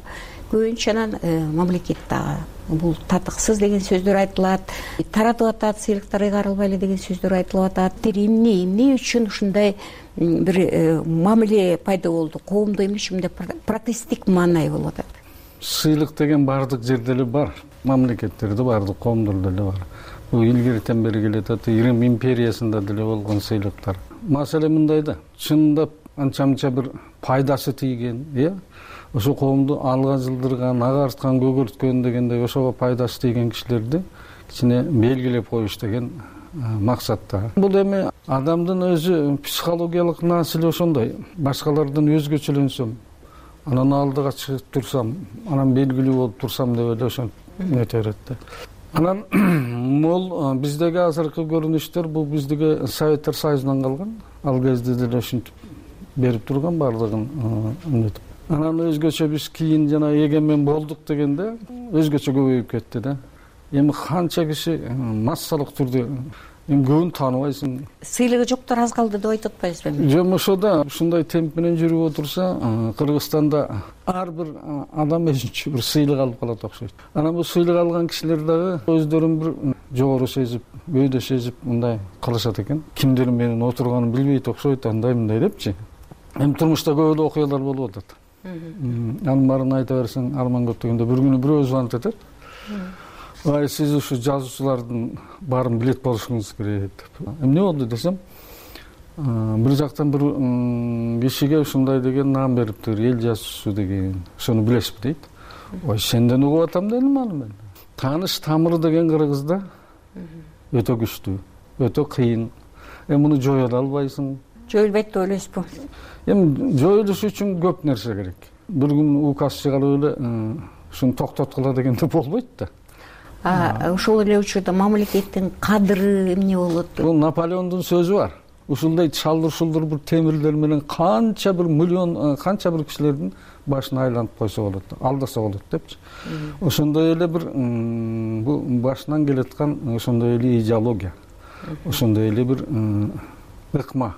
Көбүнчө анан мамлекет дагы бул татыксыз деген сөздөр айтылат, таратып атат, сыйлыктар ыйгарылбай эле деген сөздөр айтылып атат. Эмне эмне үчүн ушундай бир мамиле пайда болду? Коомдо эмне үчүн протесттик маанай болуп атат? Сыйлык деген бардык жерде эле бар, мамлекеттерде бардык коомдордо эле бар. Бул илгертен бери келет, Рим империясында деле болгон сыйлыктар. Маселе мындай да, чындап анча-мынча бир пайдасы тийген, э? Ошо коомду алга жылдырган, агарткан, көгөрткөн дегендей ошого пайдасы тийген кишилерди кичине белгилеп коюш деген максатта. Бул эми адамдын өзү психологиялык насили ошондой. Башкалардан өзгөчөлөнсөм, анан алдыга чыгып турсам, анан белгилүү болуп турсам деп эле ошо нете берет да. Анан бул биздеги азыркы көрүнүштөр, бул биздеги Советтер Союзунан калган. Ал кезде деле ушинтип берип турган бардыгын эмнетип. Анан өзгөчө биз кийин жана эгемен болдук дегенде өзгөчө көбөйүп кетти да. Эми канча киши массалык түрдө эми көбүн тааныбайсың. Сыйлыгы жоктор аз калды деп айтып атпайсызбы? Жок, ошода ушундай темп менен жүрүп отурса, Кыргызстанда ар бир адам өзүнчө бир сыйлык алып калат окшойт. Анан бул сыйлык алган кишилер дагы өздөрүн бир жогору сезип, бөөдө сезип мындай кылышат экен. Кимдер менен отурганын билбейт окшойт, андай мындай депчи. Эми турмушта көп эле окуялар болуп атат. Анын баарын айта берсең, арман көп дегенде бир күнү бирөө звонить этет. Ай, сиз ушу жазуучулардын баарын билет болушуңуз керек деп. Эмне болду десем, бир жактан бир кишиге ушундай деген наам бериптир, эл жазуучусу деген. Ошону билесизби дейт. Ой, сенден угуп атам дедим аны мен. Тааныш тамыры деген Кыргызда өтө күчтүү, өтө кыйын. Эми муну жоя албайсың. Жоюлбайт деп ойлойсузбу? Эми жоюлуш үчүн көп нерсе керек. Бир күн указ чыгарып эле ушуну токтоткула дегенде болбойт да. А ошол эле учурда мамлекеттин кадыры эмне болот? Бул Наполеондун сөзү бар. Ушундай чалдыр-шулдур бир темирлер менен канча бир миллион, канча бир кишилердин башын айланып койсо болот, алдаса болот депчи. Ошондой эле бир бул башынан келаткан ошондой эле идеология. Ошондой эле бир ыкма,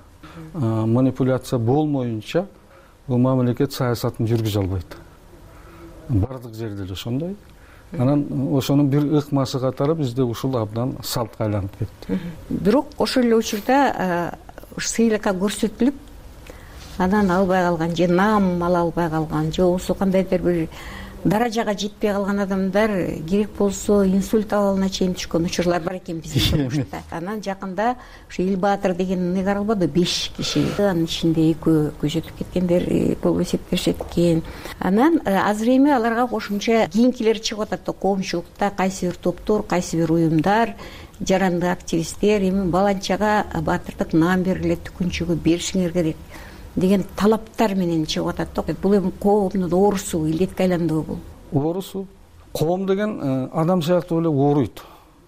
манипуляция болмоюнча бул мамлекет саясатын жүргүзө албайт. Бардык жерде эле ошондой. Анан ошонун бир ыкмасы катары бизде ушул абдан салтка айланып кетти. Бирок ошол эле учурда сыйлыкка көрсөтүлүп, анан албай калган же наам ала албай калган же болбосо кандайдыр бир даражага жетпей калган адамдар керек болсо инсульт абалына чейин түшкөн учурлар бар экен биздин турмушта. Анан жакында ушу Ил Баатыр деген ны каралбады, беш киши, анын ичинде экөө көзөтүп кеткендер болуп эсептешет экен. Анан азыр эми аларга кошумча кийинкилер чыгып атат, коомчулукта кайсы бир топтор, кайсы бир уюмдар, жарандык активисттер эми баланчага баатырдык наам бергиле, түкүнчүгү беришиңер керек деген талаптар менен чыгып атат да. Бул эми коомдун оорусу, илдетке айландыбы бул? Оорусу. Коом деген адам сыяктуу эле ооруйт.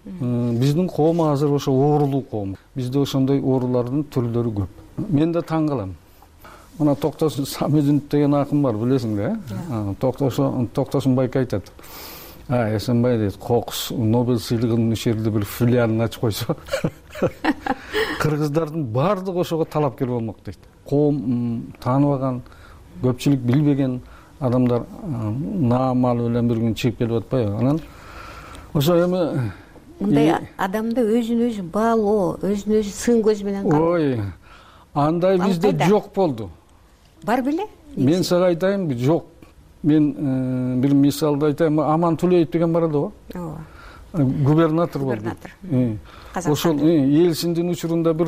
Биздин коом азыр ошо оорулуу коом. Бизде ошондой оорулардын түрлөрү көп. Мен да таң калам. Мына Токтосун Самединов деген акын бар, билесиң да, э? Токтосун Токтосун байке айтат. А, Эсенбай дейт, Кокус Нобель сыйлыгынын ушул жерде бир филиалын ачып койсо, кыргыздардын баардыгы ошого талапкер болмок дейт. Коом тааныбаган, көпчүлүк билбеген адамдар наам алып эле бир күн чыгып келип атпайбы? Анан ошо эми мындай адамды өзүн өзү баалоо, өзүн өзү сын көз менен кароо. Ой, андай бизде жок болду. Бар беле? Мен сага айтайынбы, жок. Мен бир мисалды айтайын, Аман Тулеев деген бар эле го. Ооба. Губернатор болду. Ошол Элсиндин учурунда бир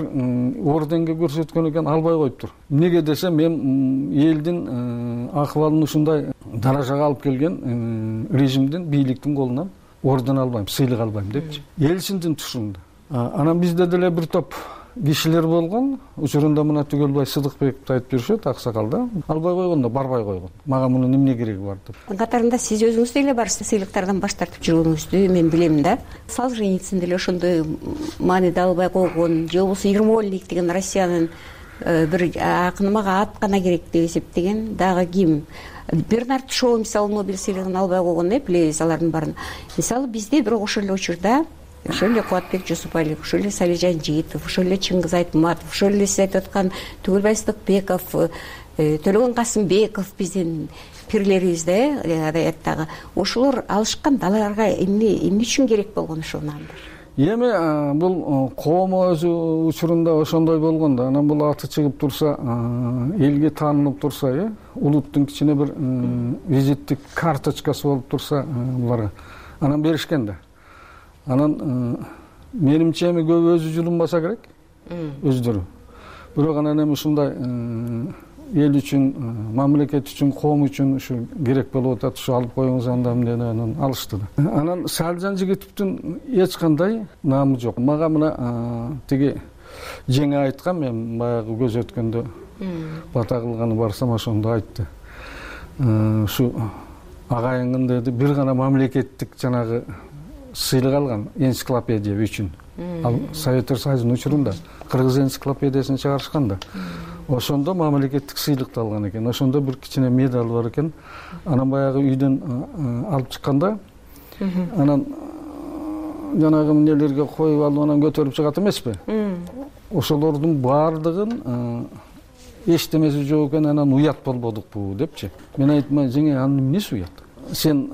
орденге көрсөткөн экен, албай коюптур. Эмнеге десе, мен элдин акыбалын ушундай даражага алып келген режимдин, бийликтин колунан орден албайм, сыйлык албайм депчи. Элсиндин тушунда. Анан бизде деле бир топ кишилер болгон, учурунда мына Түгөлбай Сыдыкбековду айтып жүрүшөт, аксакал да. Албай койгондо барбай койгон. Мага мунун эмне кереги бар деп. Катарында сиз өзүңүз деле барсыз, сыйлыктардан баш тартып жүргөнүңүздү мен билем да. Солженицин деле ошондой мааниде албай койгон, же болбосо Ермольник деген Россиянын бир акыны мага ат гана керек деп эсептеген дагы ким? Бернард Шоу мисалы Нобель сыйлыгын албай койгон, э, билебиз алардын баарын. Мисалы бизде бирок ошол эле учурда ошол эле Кубатбек Жусупалиев, ошол эле Салижан Жыйтов, ошол эле Чыңгыз Айтматов, ошол эле сиз айтып аткан Түгөлбай Сыдыкбеков, Төлөгөн Касымбеков биздин пирлерибиз да, э, адабияттагы. Ошолор алышкан, аларга эмне эмне үчүн керек болгон ошол наамдар? Эми бул коом өзү учурунда ошондой болгон да. Анан бул аты чыгып турса, элге таанылып турса, э, улуттун кичине бир визиттик карточкасы болуп турса, буларга анан беришкен да. Анан менимче эми көп өзү жулунбаса керек, өздөрү. Бирок анан эми ушундай эл үчүн, мамлекет үчүн, коом үчүн ушу керек болуп атат, ушу алып коюңуз анда эмне деп анан алышты да. Анан Салжан Жигитовдун эч кандай наамы жок. Мага мына тиги жеңе айткан, мен баягы көз өткөндө бата кылганы барсам ошондо айтты. Ушу агайыңын деди, бир гана мамлекеттик жанагы сыйлык алган, энциклопедия үчүн. Ал Советтер Союзунун учурунда кыргыз энциклопедиясын чыгарышкан да. Ошондо мамлекеттик сыйлыкты алган экен. Ошондо бир кичине медаль бар экен. Анан баягы үйдөн алып чыкканда, анан жанагы эмнелерге коюп алып анан көтөрүп чыгат эмеспи? Ошолордун баардыгын эчтемеси жок экен, анан уят болбодукпу депчи. Мен айттым, жеңе, анын эмнеси уят? Сен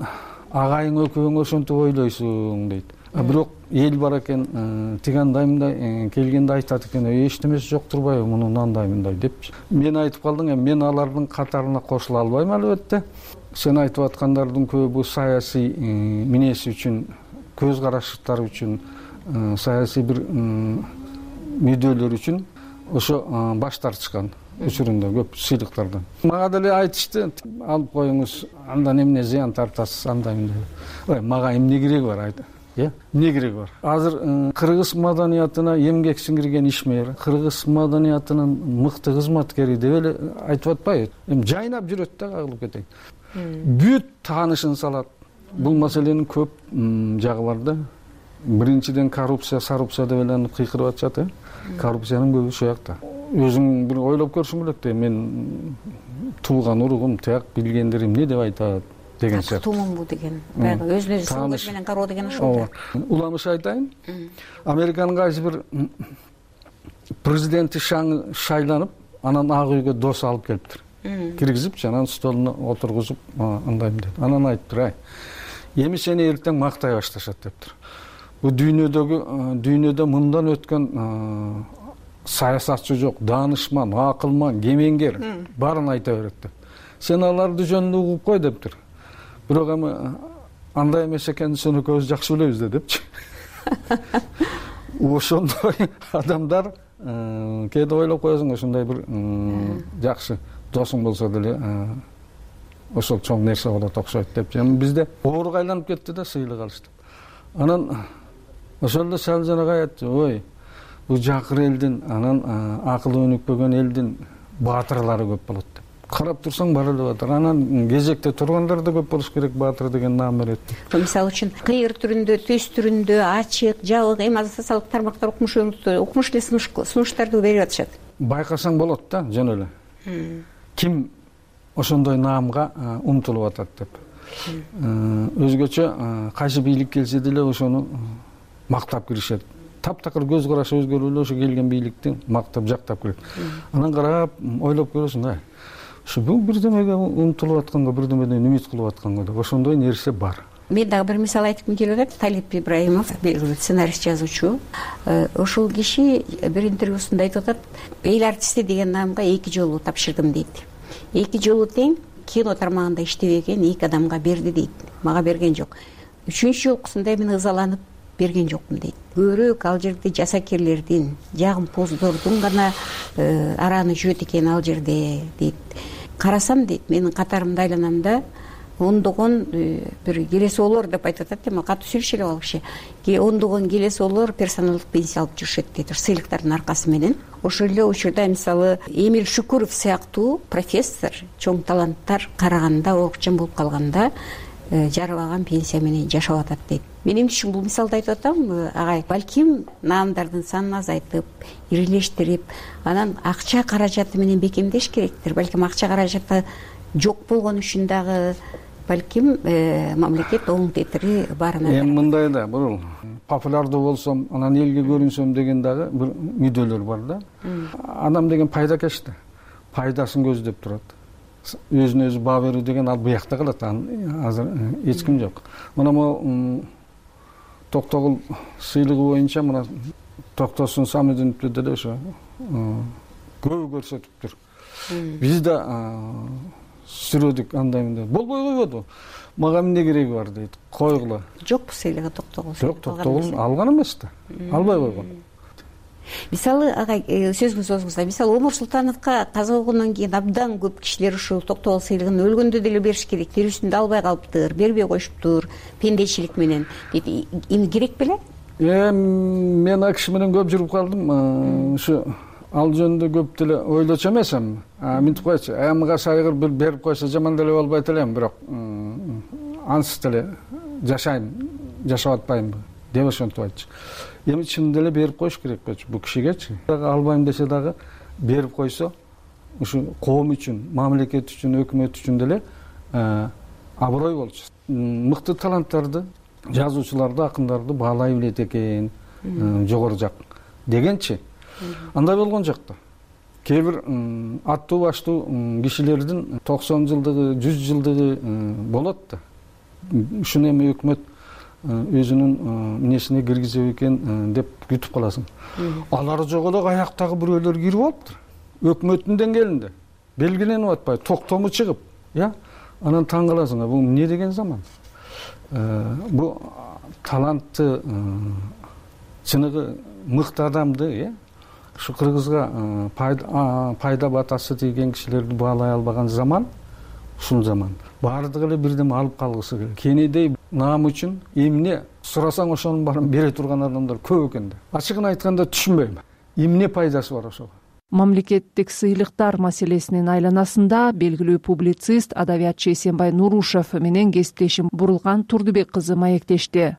агайың экөөң ошентип ойлойсуң дейт. А бирок эл бар экен, тиги андай мындай келгенде айтат экен, эчтемеси жок турбайбы мунун андай мындай депчи. Мен айтып калдым, мен алардын катарына кошула албайм албетте. Сен айтып аткандардын көбү саясий минеси үчүн, көз караштары үчүн, саясий бир мүдөлөр үчүн ошо баш тартышкан учурунда көп сыйлыктардан. Мага деле айтышты, алып коюңуз, андан эмне зыян тартасыз, андай мындай. Ой, мага эмне кереги бар айт. Э, эмне кереги бар? Азыр кыргыз маданиятына эмгек сиңирген ишмер, кыргыз маданиятынын мыкты кызматкери деп эле айтып атпайбы? Эми жайнап жүрөт да, кагылып кетейин. Бүт таанышын салат. Бул маселенин көп жагы бар да. Биринчиден коррупция, сарупция деп эле кыйкырып атышат, э? Коррупциянын көбү ушул жакта. Өзүң бир ойлоп көрсөң элек да, мен тууган уругум тияк билгендер эмне деп айтат деген сыяктуу. Тумумбу деген, баягы өзүнө өзү сын көз менен кароо деген ошол. Уламыш айтайын. Американын кайсы бир президенти шайланып, анан Ак үйгө дос алып келиптир. Киргизипчи, анан столуна отургузуп, андай деп. Анан айтыптыр, ай, эми сени эртең мактай башташат дептир. Бу дүйнөдөгү, дүйнөдө мындан өткөн саясатчы жок, даанышман, акылман, кемеңгер баарын айта берет деп. Сен аларды жөнүндө угуп кой дептир. Бирок эми андай эмес экенин сөнөкөбүз жакшы билебиз да депчи. Ошондой адамдар кээде ойлоп коесуң, ушундай бир жакшы досуң болсо деле ошол чоң нерсе болот окшойт деп. Эми бизде ооруга айланып кетти да сыйлык алыш деп. Анан ошол эле Салжанага айтты, ой, бул жакыр элдин, анан акылы өнүкпөгөн элдин баатырлары көп болот деп. Карап турсаң бар эле баатыр. Анан кезекте тургандар да көп болуш керек, баатыр деген наам берет. Мисалы үчүн кыйыр түрүндө, төс түрүндө, ачык, жабык, эми азыр социалдык тармактар укмуш укмуш эле сунуштарды берип атышат. Байкасаң болот да, жөн эле. Ким ошондой наамга умтулуп атат деп. Өзгөчө кайсы бийлик келсе деле ошону мактап киришет. Таптакыр көз карашы өзгөрүп эле ошо келген бийликти мактап, жактап кирет. Анан карап, ойлоп көрөсүң, ай, ушу бул бирдемеге умтулуп атканга, бирдемеден үмүт кылып атканга деп, ошондой нерсе бар. Мен дагы бир мисал айткым келип атат. Талип Ибраимов, белгилүү сценарист, жазуучу. Ошол киши бир интервьюсунда айтып атат, эл артисти деген наамга эки жолу тапшырдым дейт. Эки жолу тең кино тармагында иштебеген эки адамга берди дейт. Мага берген жок. Үчүнчү жолкусунда мен ызаланып берген жокмун дейт. Көбүрөөк ал жерде жасакерлердин, жагымпоздордун гана араны жөөт экен ал жерде дейт. Карасам дейт, менин катарымда айланамда ондогон бир келесоолор деп айтып атат, эми катуу сүйлөшө элек ал киши. Ондогон келесоолор персоналдык пенсия алып жүрүшөт дейт, сыйлыктардын аркасы менен. Ошол эле учурда мисалы Эмиль Шүкүров сыяктуу профессор, чоң таланттар караганда, окчан болуп калганда жарыбаган пенсия менен жашап атат дейт. Мен эмне үчүн бул мисалды айтып атам, агай, балким наамдардын санын азайтып, ирилештирип, анан акча каражаты менен бекемдеш керектир. Балким акча каражаты жок болгон үчүн дагы балким мамлекет оң тетири барына. Эми мындай да, бул популярдуу болсом, анан элге көрүнсөм деген дагы бир мүдөлөр бар да. Адам деген пайдакеш да. Пайдасын көздөп турат. Өзүнө өзү баа берүү деген ал буякта калат. Азыр эч ким жок. Мына могу Токтогул сыйлыгы боюнча мына Токтосун Самидиновду деле ошо көбү көрсөтүптүр. Биз да сүрөдүк андай мындай. Болбой койбоду. Мага эмне кереги бар дейт. Койгула. Жокпу сыйлыгы Токтогул? Жок, Токтогул алган эмес да. Албай койгон. Мисалы агай, сөзүңүз созуңузда, мисалы Омур Султановго каза болгондон кийин абдан көп кишилер ушул Токтогул сыйлыгын өлгөндө деле бериш керек, берүүсүндө албай калыптыр, бербей коюшуптур, пендечилик менен дейт. Эми керек беле? Эми мен ал киши менен көп жүрүп калдым. Ушу ал жөнүндө көп деле ойлочу эмесмин. Мынтип койчу, эмга сайгыр бир берип койсо жаман деле болбойт элем, бирок ансыз деле жашайм, жашап атпайм деп ошентип айтчу. Эми чын деле берип коюш керек болчу бул кишигечи. Албайм десе дагы берип койсо, ушу коом үчүн, мамлекет үчүн, өкмөт үчүн деле аброй болчу. Мыкты таланттарды, жазуучуларды, акындарды баалай билет экен, жогору жак дегенчи. Андай болгон жок да. Кээ бир аттуу баштуу кишилердин токсон жылдыгы, жүз жылдыгы болот да. Ушуну эми өкмөт өзүнүн минесине киргизип экен деп күтүп каласың. Алар жок эле аяктагы бирөөлөр кирип алыптыр. Өкмөттүн деңгээлинде белгиленип атпайбы, токтому чыгып, я? Анан таң каласың, бул эмне деген заман? Бул талантты, чыныгы мыкты адамды, я? Ушу кыргызга пайда батасы тийген кишилерди баалай албаган заман, ушул заман. Баардыгы эле бирдеме алып калгысы келет. Кенедей наам үчүн эмне сурасаң ошонун баарын бере турган адамдар көп экен да. Ачыгын айтканда түшүнбөйм. Эмне пайдасы бар ошого? Мамлекеттик сыйлыктар маселесинин айланасында белгилүү публицист, адабиятчы Эсенбай Нурушев менен кесиптешим Бурулган Турдубек кызы маектешти.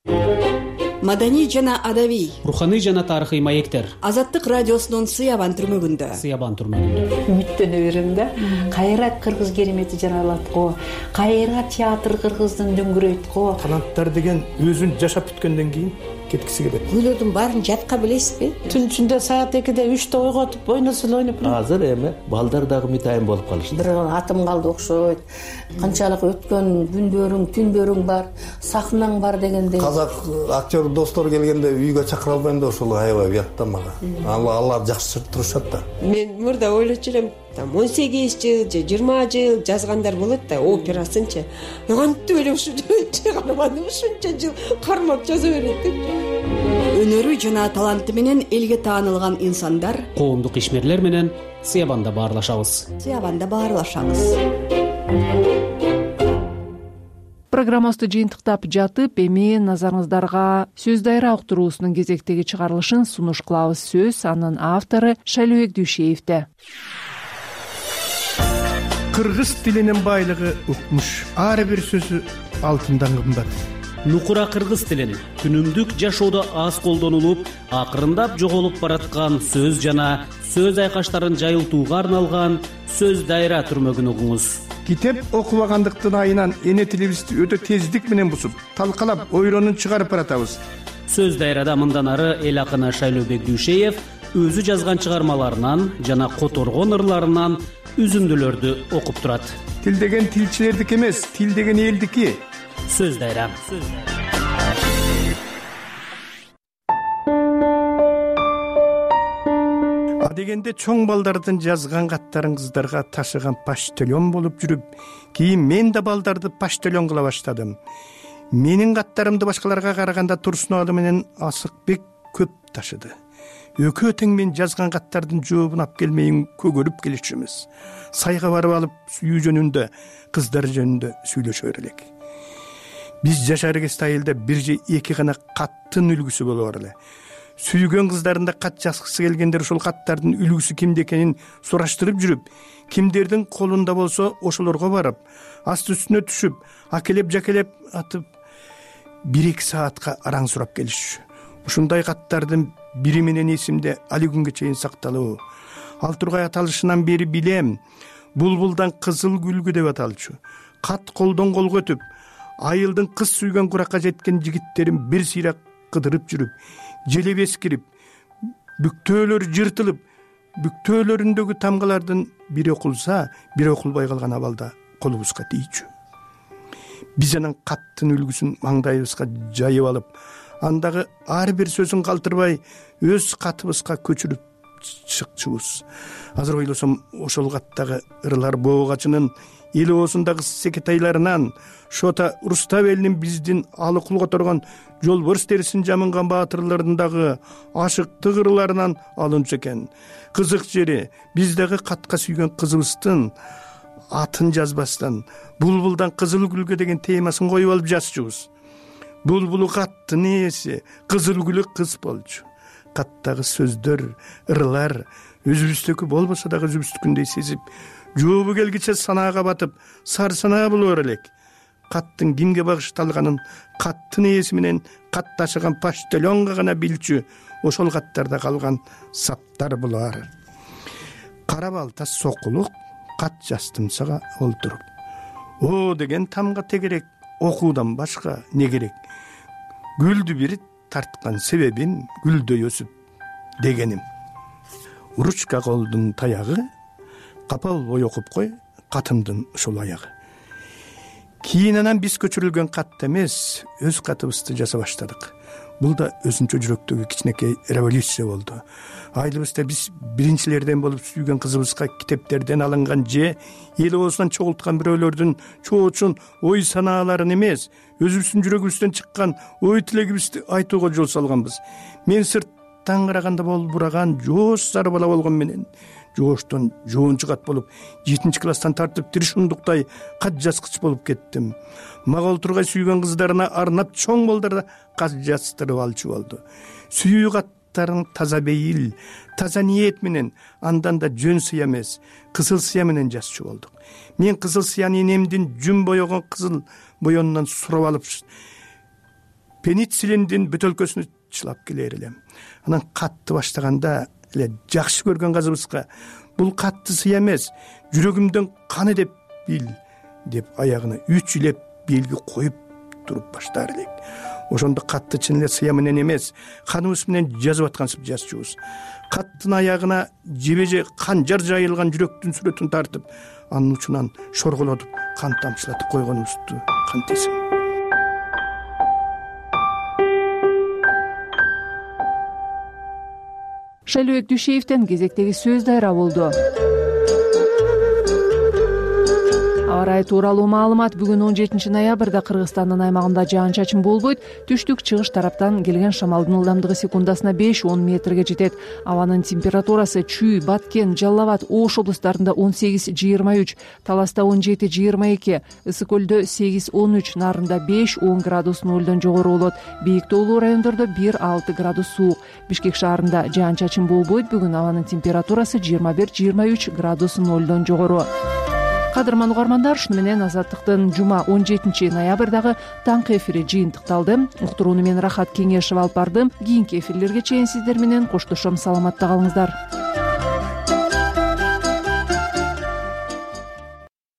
Маданий жана адабий, руханий жана тарыхый маектер. Азаттык радиосунун Сыябан түрмөгүндө. Сыябан түрмөгүндө. Үмүттөнө берем да. Кайра кыргыз керемети жаралат го. Кайра театр кыргыздын дөңгөрөйт го. Таланттар деген өзүн жашап бүткөндөн кийин кеткиси келет. Күйлөрдүн баарын жатка билесизби? Түн ичинде саат экиде үчтө ойготуп ойносун ойноп. Азыр эми балдар дагы мытайын болуп калышты. Бир атым калды окшойт. Канчалык өткөн күндөрүң, түндөрүң бар, сахнаң бар дегендей. Казак актер достор келгенде үйгө чакыра албайм да ошол аябай уят да мага. Алар жакшы турушат да. Мен мурда ойлочу элем, там он сегиз жыл же жыйырма жыл жазгандар болот да, операсынчы. Кантип эле ушу чыгарманы ушунча жыл кармап жаза берет деп. Өнөрү жана таланты менен элге таанылган инсандар коомдук ишмерлер менен Сыябанда баарлашабыз. Сыябанда баарлашабыз. Программабызды жыйынтыктап жатып, эми назарыңыздарга сөз дайра уктуруусунун кезектеги чыгарылышын сунуш кылабыз. Сөз анын автору Шайлообек Дүйшеевде. Кыргыз тилинин байлыгы укмуш. Ар бир сөзү алтындан кымбат. Нукура кыргыз тилин күнүмдүк жашоодо аз колдонулуп, акырындап жоголуп бараткан сөз жана сөз айкаштарын жайылтууга арналган сөз дайра түрмөгүн угуңуз. Китеп окубагандыктын айынан эне тилибизди өтө тездик менен бусуп, талкалап, ойронун чыгарып баратабыз. Сөз дайрада мындан ары эл акыны Шайлообек Дүйшеев өзү жазган чыгармаларынан жана которгон ырларынан үзүндүлөрдү окуп турат. Тил деген тилчилердики эмес, тил деген элдики. Сөз дайра. А дегенде чоң балдардын жазган каттарын кыздарга ташыган почтальон болуп жүрүп, кийин мен да балдарды почтальон кыла баштадым. Менин каттарымды башкаларга караганда Турсун ага менен Асыкбек көп ташыды. Өкө тең мен жазган каттардын жообун алып келмейин көгөрүп келишчүбүз. Сайга барып алып сүйүү жөнүндө, кыздар жөнүндө сүйлөшөр элек. Биз жашар кезде айылда бир же эки гана каттын үлгүсү болор эле. Сүйгөн кыздарында кат жазгысы келгендер ошол каттардын үлгүсү кимде экенин сураштырып жүрүп, кимдердин колунда болсо ошолорго барып, асты үстүнө түшүп, акелеп жакелеп атып бир эки саатка араң сурап келишчү. Ушундай каттардын бири менен эсимде али күнгө чейин сакталуу. Ал тургай аталышынан бери билем. Булбулдан кызыл гүлгү деп аталчу. Кат колдон колго өтүп, айылдын кыз сүйгөн куракка жеткен жигиттерин бир сыйра кыдырып жүрүп, желеп эскирип, бүктөөлөр жыртылып, бүктөөлөрүндөгү тамгалардын бири окулса, бири окулбай калган абалда колубузга тийчү. Биз анан каттын үлгүсүн маңдайыбызга жайып алып, андагы ар бир сөзүн калтырбай өз катыбызга көчүрүп чыкчубуз. Азыр ойлосом, ошол каттагы ырлар боогачынын эл оозундагы секетайларынан, Шота Руставелдин биздин алыкул которгон жолборс терисин жамынган баатырларындагы ашыктык ырларынан алынчу экен. Кызык жери, биздеги катка сүйгөн кызыбыздын атын жазбастан булбулдан кызыл гүлгө деген темасын коюп алып жазчубуз. Булбулу каттын ээси, кызыл гүлү кыз болчу. Каттагы сөздөр, ырлар өзүбүздүкү болбосо дагы өзүбүздүкүндөй сезип, жообу келгиче санаага батып, сар санаа болор элек. Каттын кимге багышталганын каттын ээси менен кат ташыган почтальонго гана билчү, ошол каттарда калган саптар булар. Кара балта сокулук кат жаздым сага олтуруп. О деген тамга тегерек, окуудан башка не керек? Гүлдү бир тарткан себебин гүлдөй өсүп дегеним. Ручка колдун таягы, капа болбой окуп кой катымдын ушул аягы. Кийин анан биз көчүрүлгөн кат эмес, өз катыбызды жаза баштадык. Бул да өзүнчө жүрөктөгү кичинекей революция болду. Айылыбызда биз биринчилерден болуп сүйгөн кызыбызга китептерден алынган же эл оозунан чогулткан бирөөлөрдүн чоочун ой санааларын эмес, өзүбүздүн жүрөгүбүздөн чыккан ой тилегибизди айтууга жол салганбыз. Мен сырттан караганда болбураган жоош сары бала болгон менен жооштон жоончу кат болуп, жетинчи класстан тартып тиришундуктай кат жазгыч болуп кеттим. Мага олтургай сүйгөн кыздарына арнап чоң балдарда кат жаздырып алчу болду. Сүйүү каттарын таза бейил, таза ниет менен, андан да жөн сыя эмес, кызыл сыя менен жазчу болдук. Мен кызыл сыяны энемдин жүн боёгон кызыл боёнунан сурап алып, пенициллиндин бөтөлкөсүнө чылап келер элем. Анан катты баштаганда эле жакшы көргөн кызыбызга бул катты сыя эмес, жүрөгүмдөн каны деп бил деп аягына үч илеп белги коюп туруп баштар элек. ошондо катты чын эле сыя менен эмес, каныбыз менен жазып аткансып жазчубуз. Каттын аягына жебеже канжар жайылган жүрөктүн сүрөтүн тартып, анын учунан шорголотуп, кан тамчылатып койгонубузду кантесиң. Шайлообек Дүйшеевден кезектеги сөз дайра болду. Аба ырайы тууралуу маалымат. Бүгүн он жетинчи ноябрда Кыргызстандын аймагында жаан-чачын болбойт. Түштүк чыгыш тараптан келген шамалдын ылдамдыгы секундасына беш он метрге жетет. Абанын температурасы Чүй, Баткен, Жалал Абад, Ош облустарында он сегиз жыйырма үч, Таласта он жети жыйырма эки, Ысык көлдө сегиз он үч, Нарында беш он градус нолдон жогору болот. Бийик тоолуу райондордо бир алты градус суук. Бишкек шаарында жаан-чачын болбойт. Бүгүн абанын температурасы жыйырма бир жыйырма үч градус нолдон жогору. Кадырман угармандар, ушуну менен Азаттыктын жума он жетинчи ноябрдагы таңкы эфири жыйынтыкталды. Уктурууну мен Рахат Кеңешева алып бардым. Кийинки эфирлерге чейин сиздер менен коштошом. Саламатта калыңыздар.